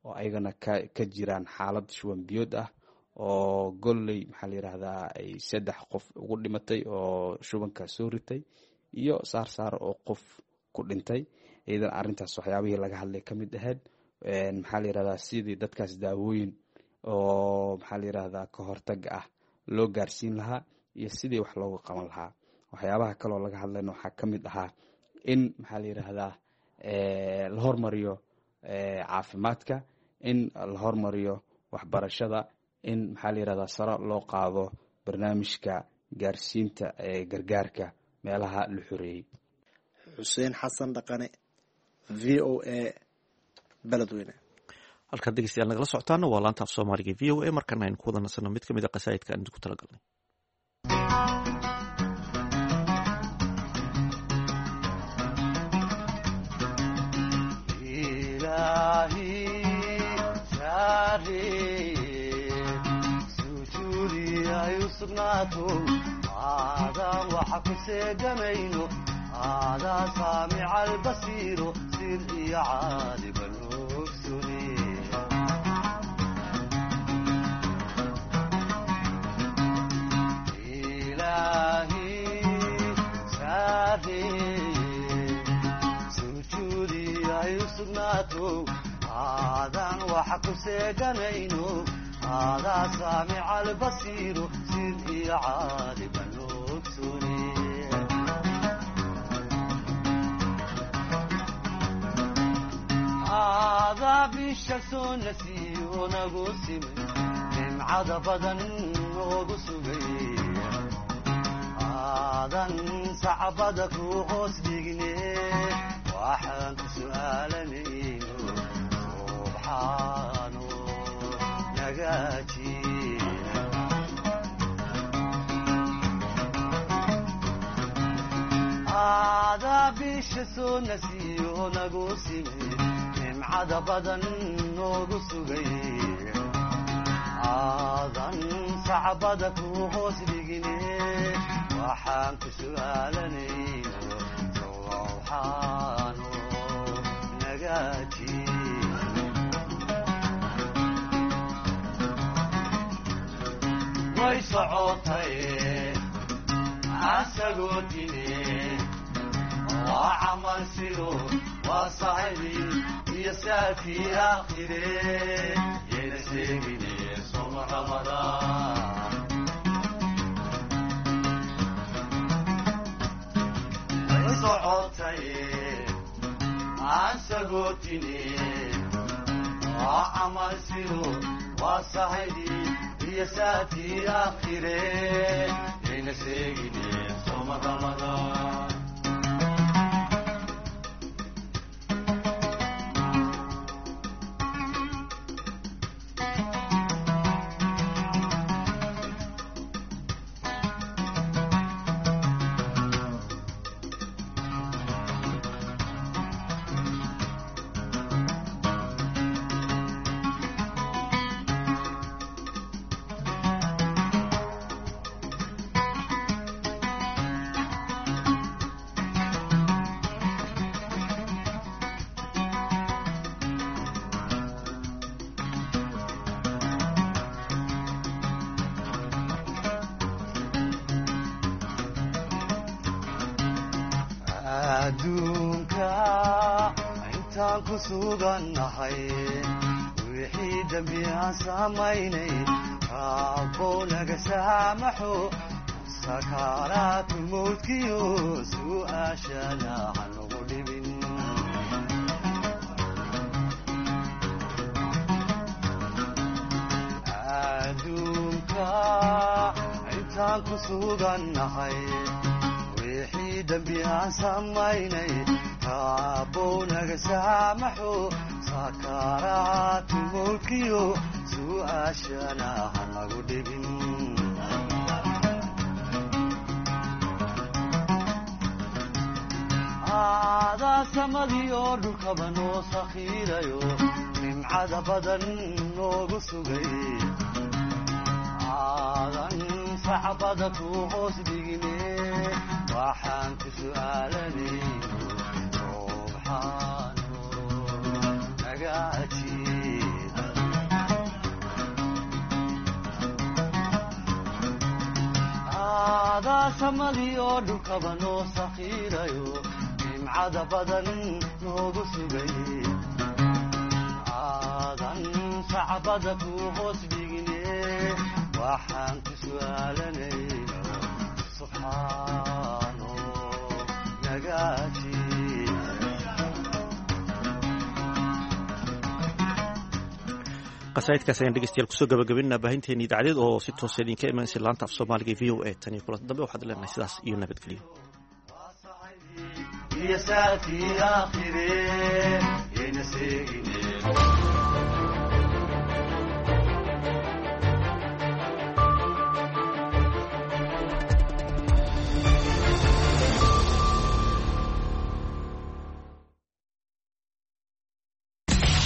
oo ayagana ka ka jiraan xaalad shuban biyood ah, oo Gololey maxaa la yiraahdaa ay saddex qof ugu dhimatay oo shubanka soo ritay, iyo Saarsaare oo qof ku dhintay. Iyadan arrintaas waxyaabihii laga hadlay ka mid ahayd maxaa la yirahdaa sidii dadkaas daawooyin oo maxaa la yirahdaa ka hortaga ah loo gaarsiin lahaa iyo sidii wax looga qaban lahaa. Waxyaabaha kaloo laga hadlayna waxaa ka mid ahaa in maxaa la yiraahdaa la hormariyo caafimaadka, in la hormariyo waxbarashada, in maxaa la yirahdaa sare loo qaado barnaamijka gaarsiinta ee gargaarka meelaha la xoreeyey. Xuseen Xasan Dhaqane, V O A, Beledweyne. Halkaad dhegeystayaal nagala socotaana waa laanta af Soomaaliga V O A. Markana aynu ku wada nasano mid ka mid a qasaa'idka aan idinku talagalnay. Saaree sujuudi ay u sugnaato aadaan waxa ku seegamayno aadaa saamica albasiiro sir iyo caaliban ogsune. Ilaahi saaree sujuudi ay u sugnaato aadaan waxa ku seeganayno aadaa saamica albasiiro sir iyo caaliban ogsune. Aadaa bisha soo nasiyo nagu simay nimcada badan noogu sugay aadan sacbada ku hoos dhigne waxaan ku su'aalanayno subxaano nagaaji. Aadaa bisha soo nasiyo nagu simay nimcada badan noogu sugay aadan sacbada ku hoos dhigine waxaan ku su'aalanayno subxaano nagaaji. Way socotay asagoo tine waa camal sido waa saxibi iyo saakii aakhire yayna sheegine soma Ramadaan. Way socotay asagoo tine waa camal sido waa saxibi iyo saakii aakhire yayna sheegine soma Ramadaan. Adduunka intaan ku sugannahay wixii dembi aan samaynay Rabbow naga saamaxo sakaraatu mawdkiyo su'aashana hanagu dhibin. Adduunka intaan ku sugannahay wixii dembi aan samaynay Rabbow naga saamaxo sakaraatu mawdkiyo su'aashana hanagu dhibin. Aadaa samadii oo dhulkaba noo sakhiirayo nimcada badan noogu sugay aadan sacbada ku hoos dhigine waxaan ku su'aalanayno subxaano naga ajiib. Aadaa samadii oo dhulkaba noo sakhiirayo nimcada badan noogu sugay aadan sacbada ku hoos dhigine waxaan ku su'aalanayno subxaano naga ajiib. Qasaidkaas ayaan dhegeystayaal kusoo gabagabaynaa baahinteeni idaacadeed oo si toosa idinka imanaysa laanta af Soomaaliga ee V O A. Tan iyo kulanti dambe waxaad leenahay sidaas iyo nabadgelyo. Iyo saakii aakhire yayna seegine.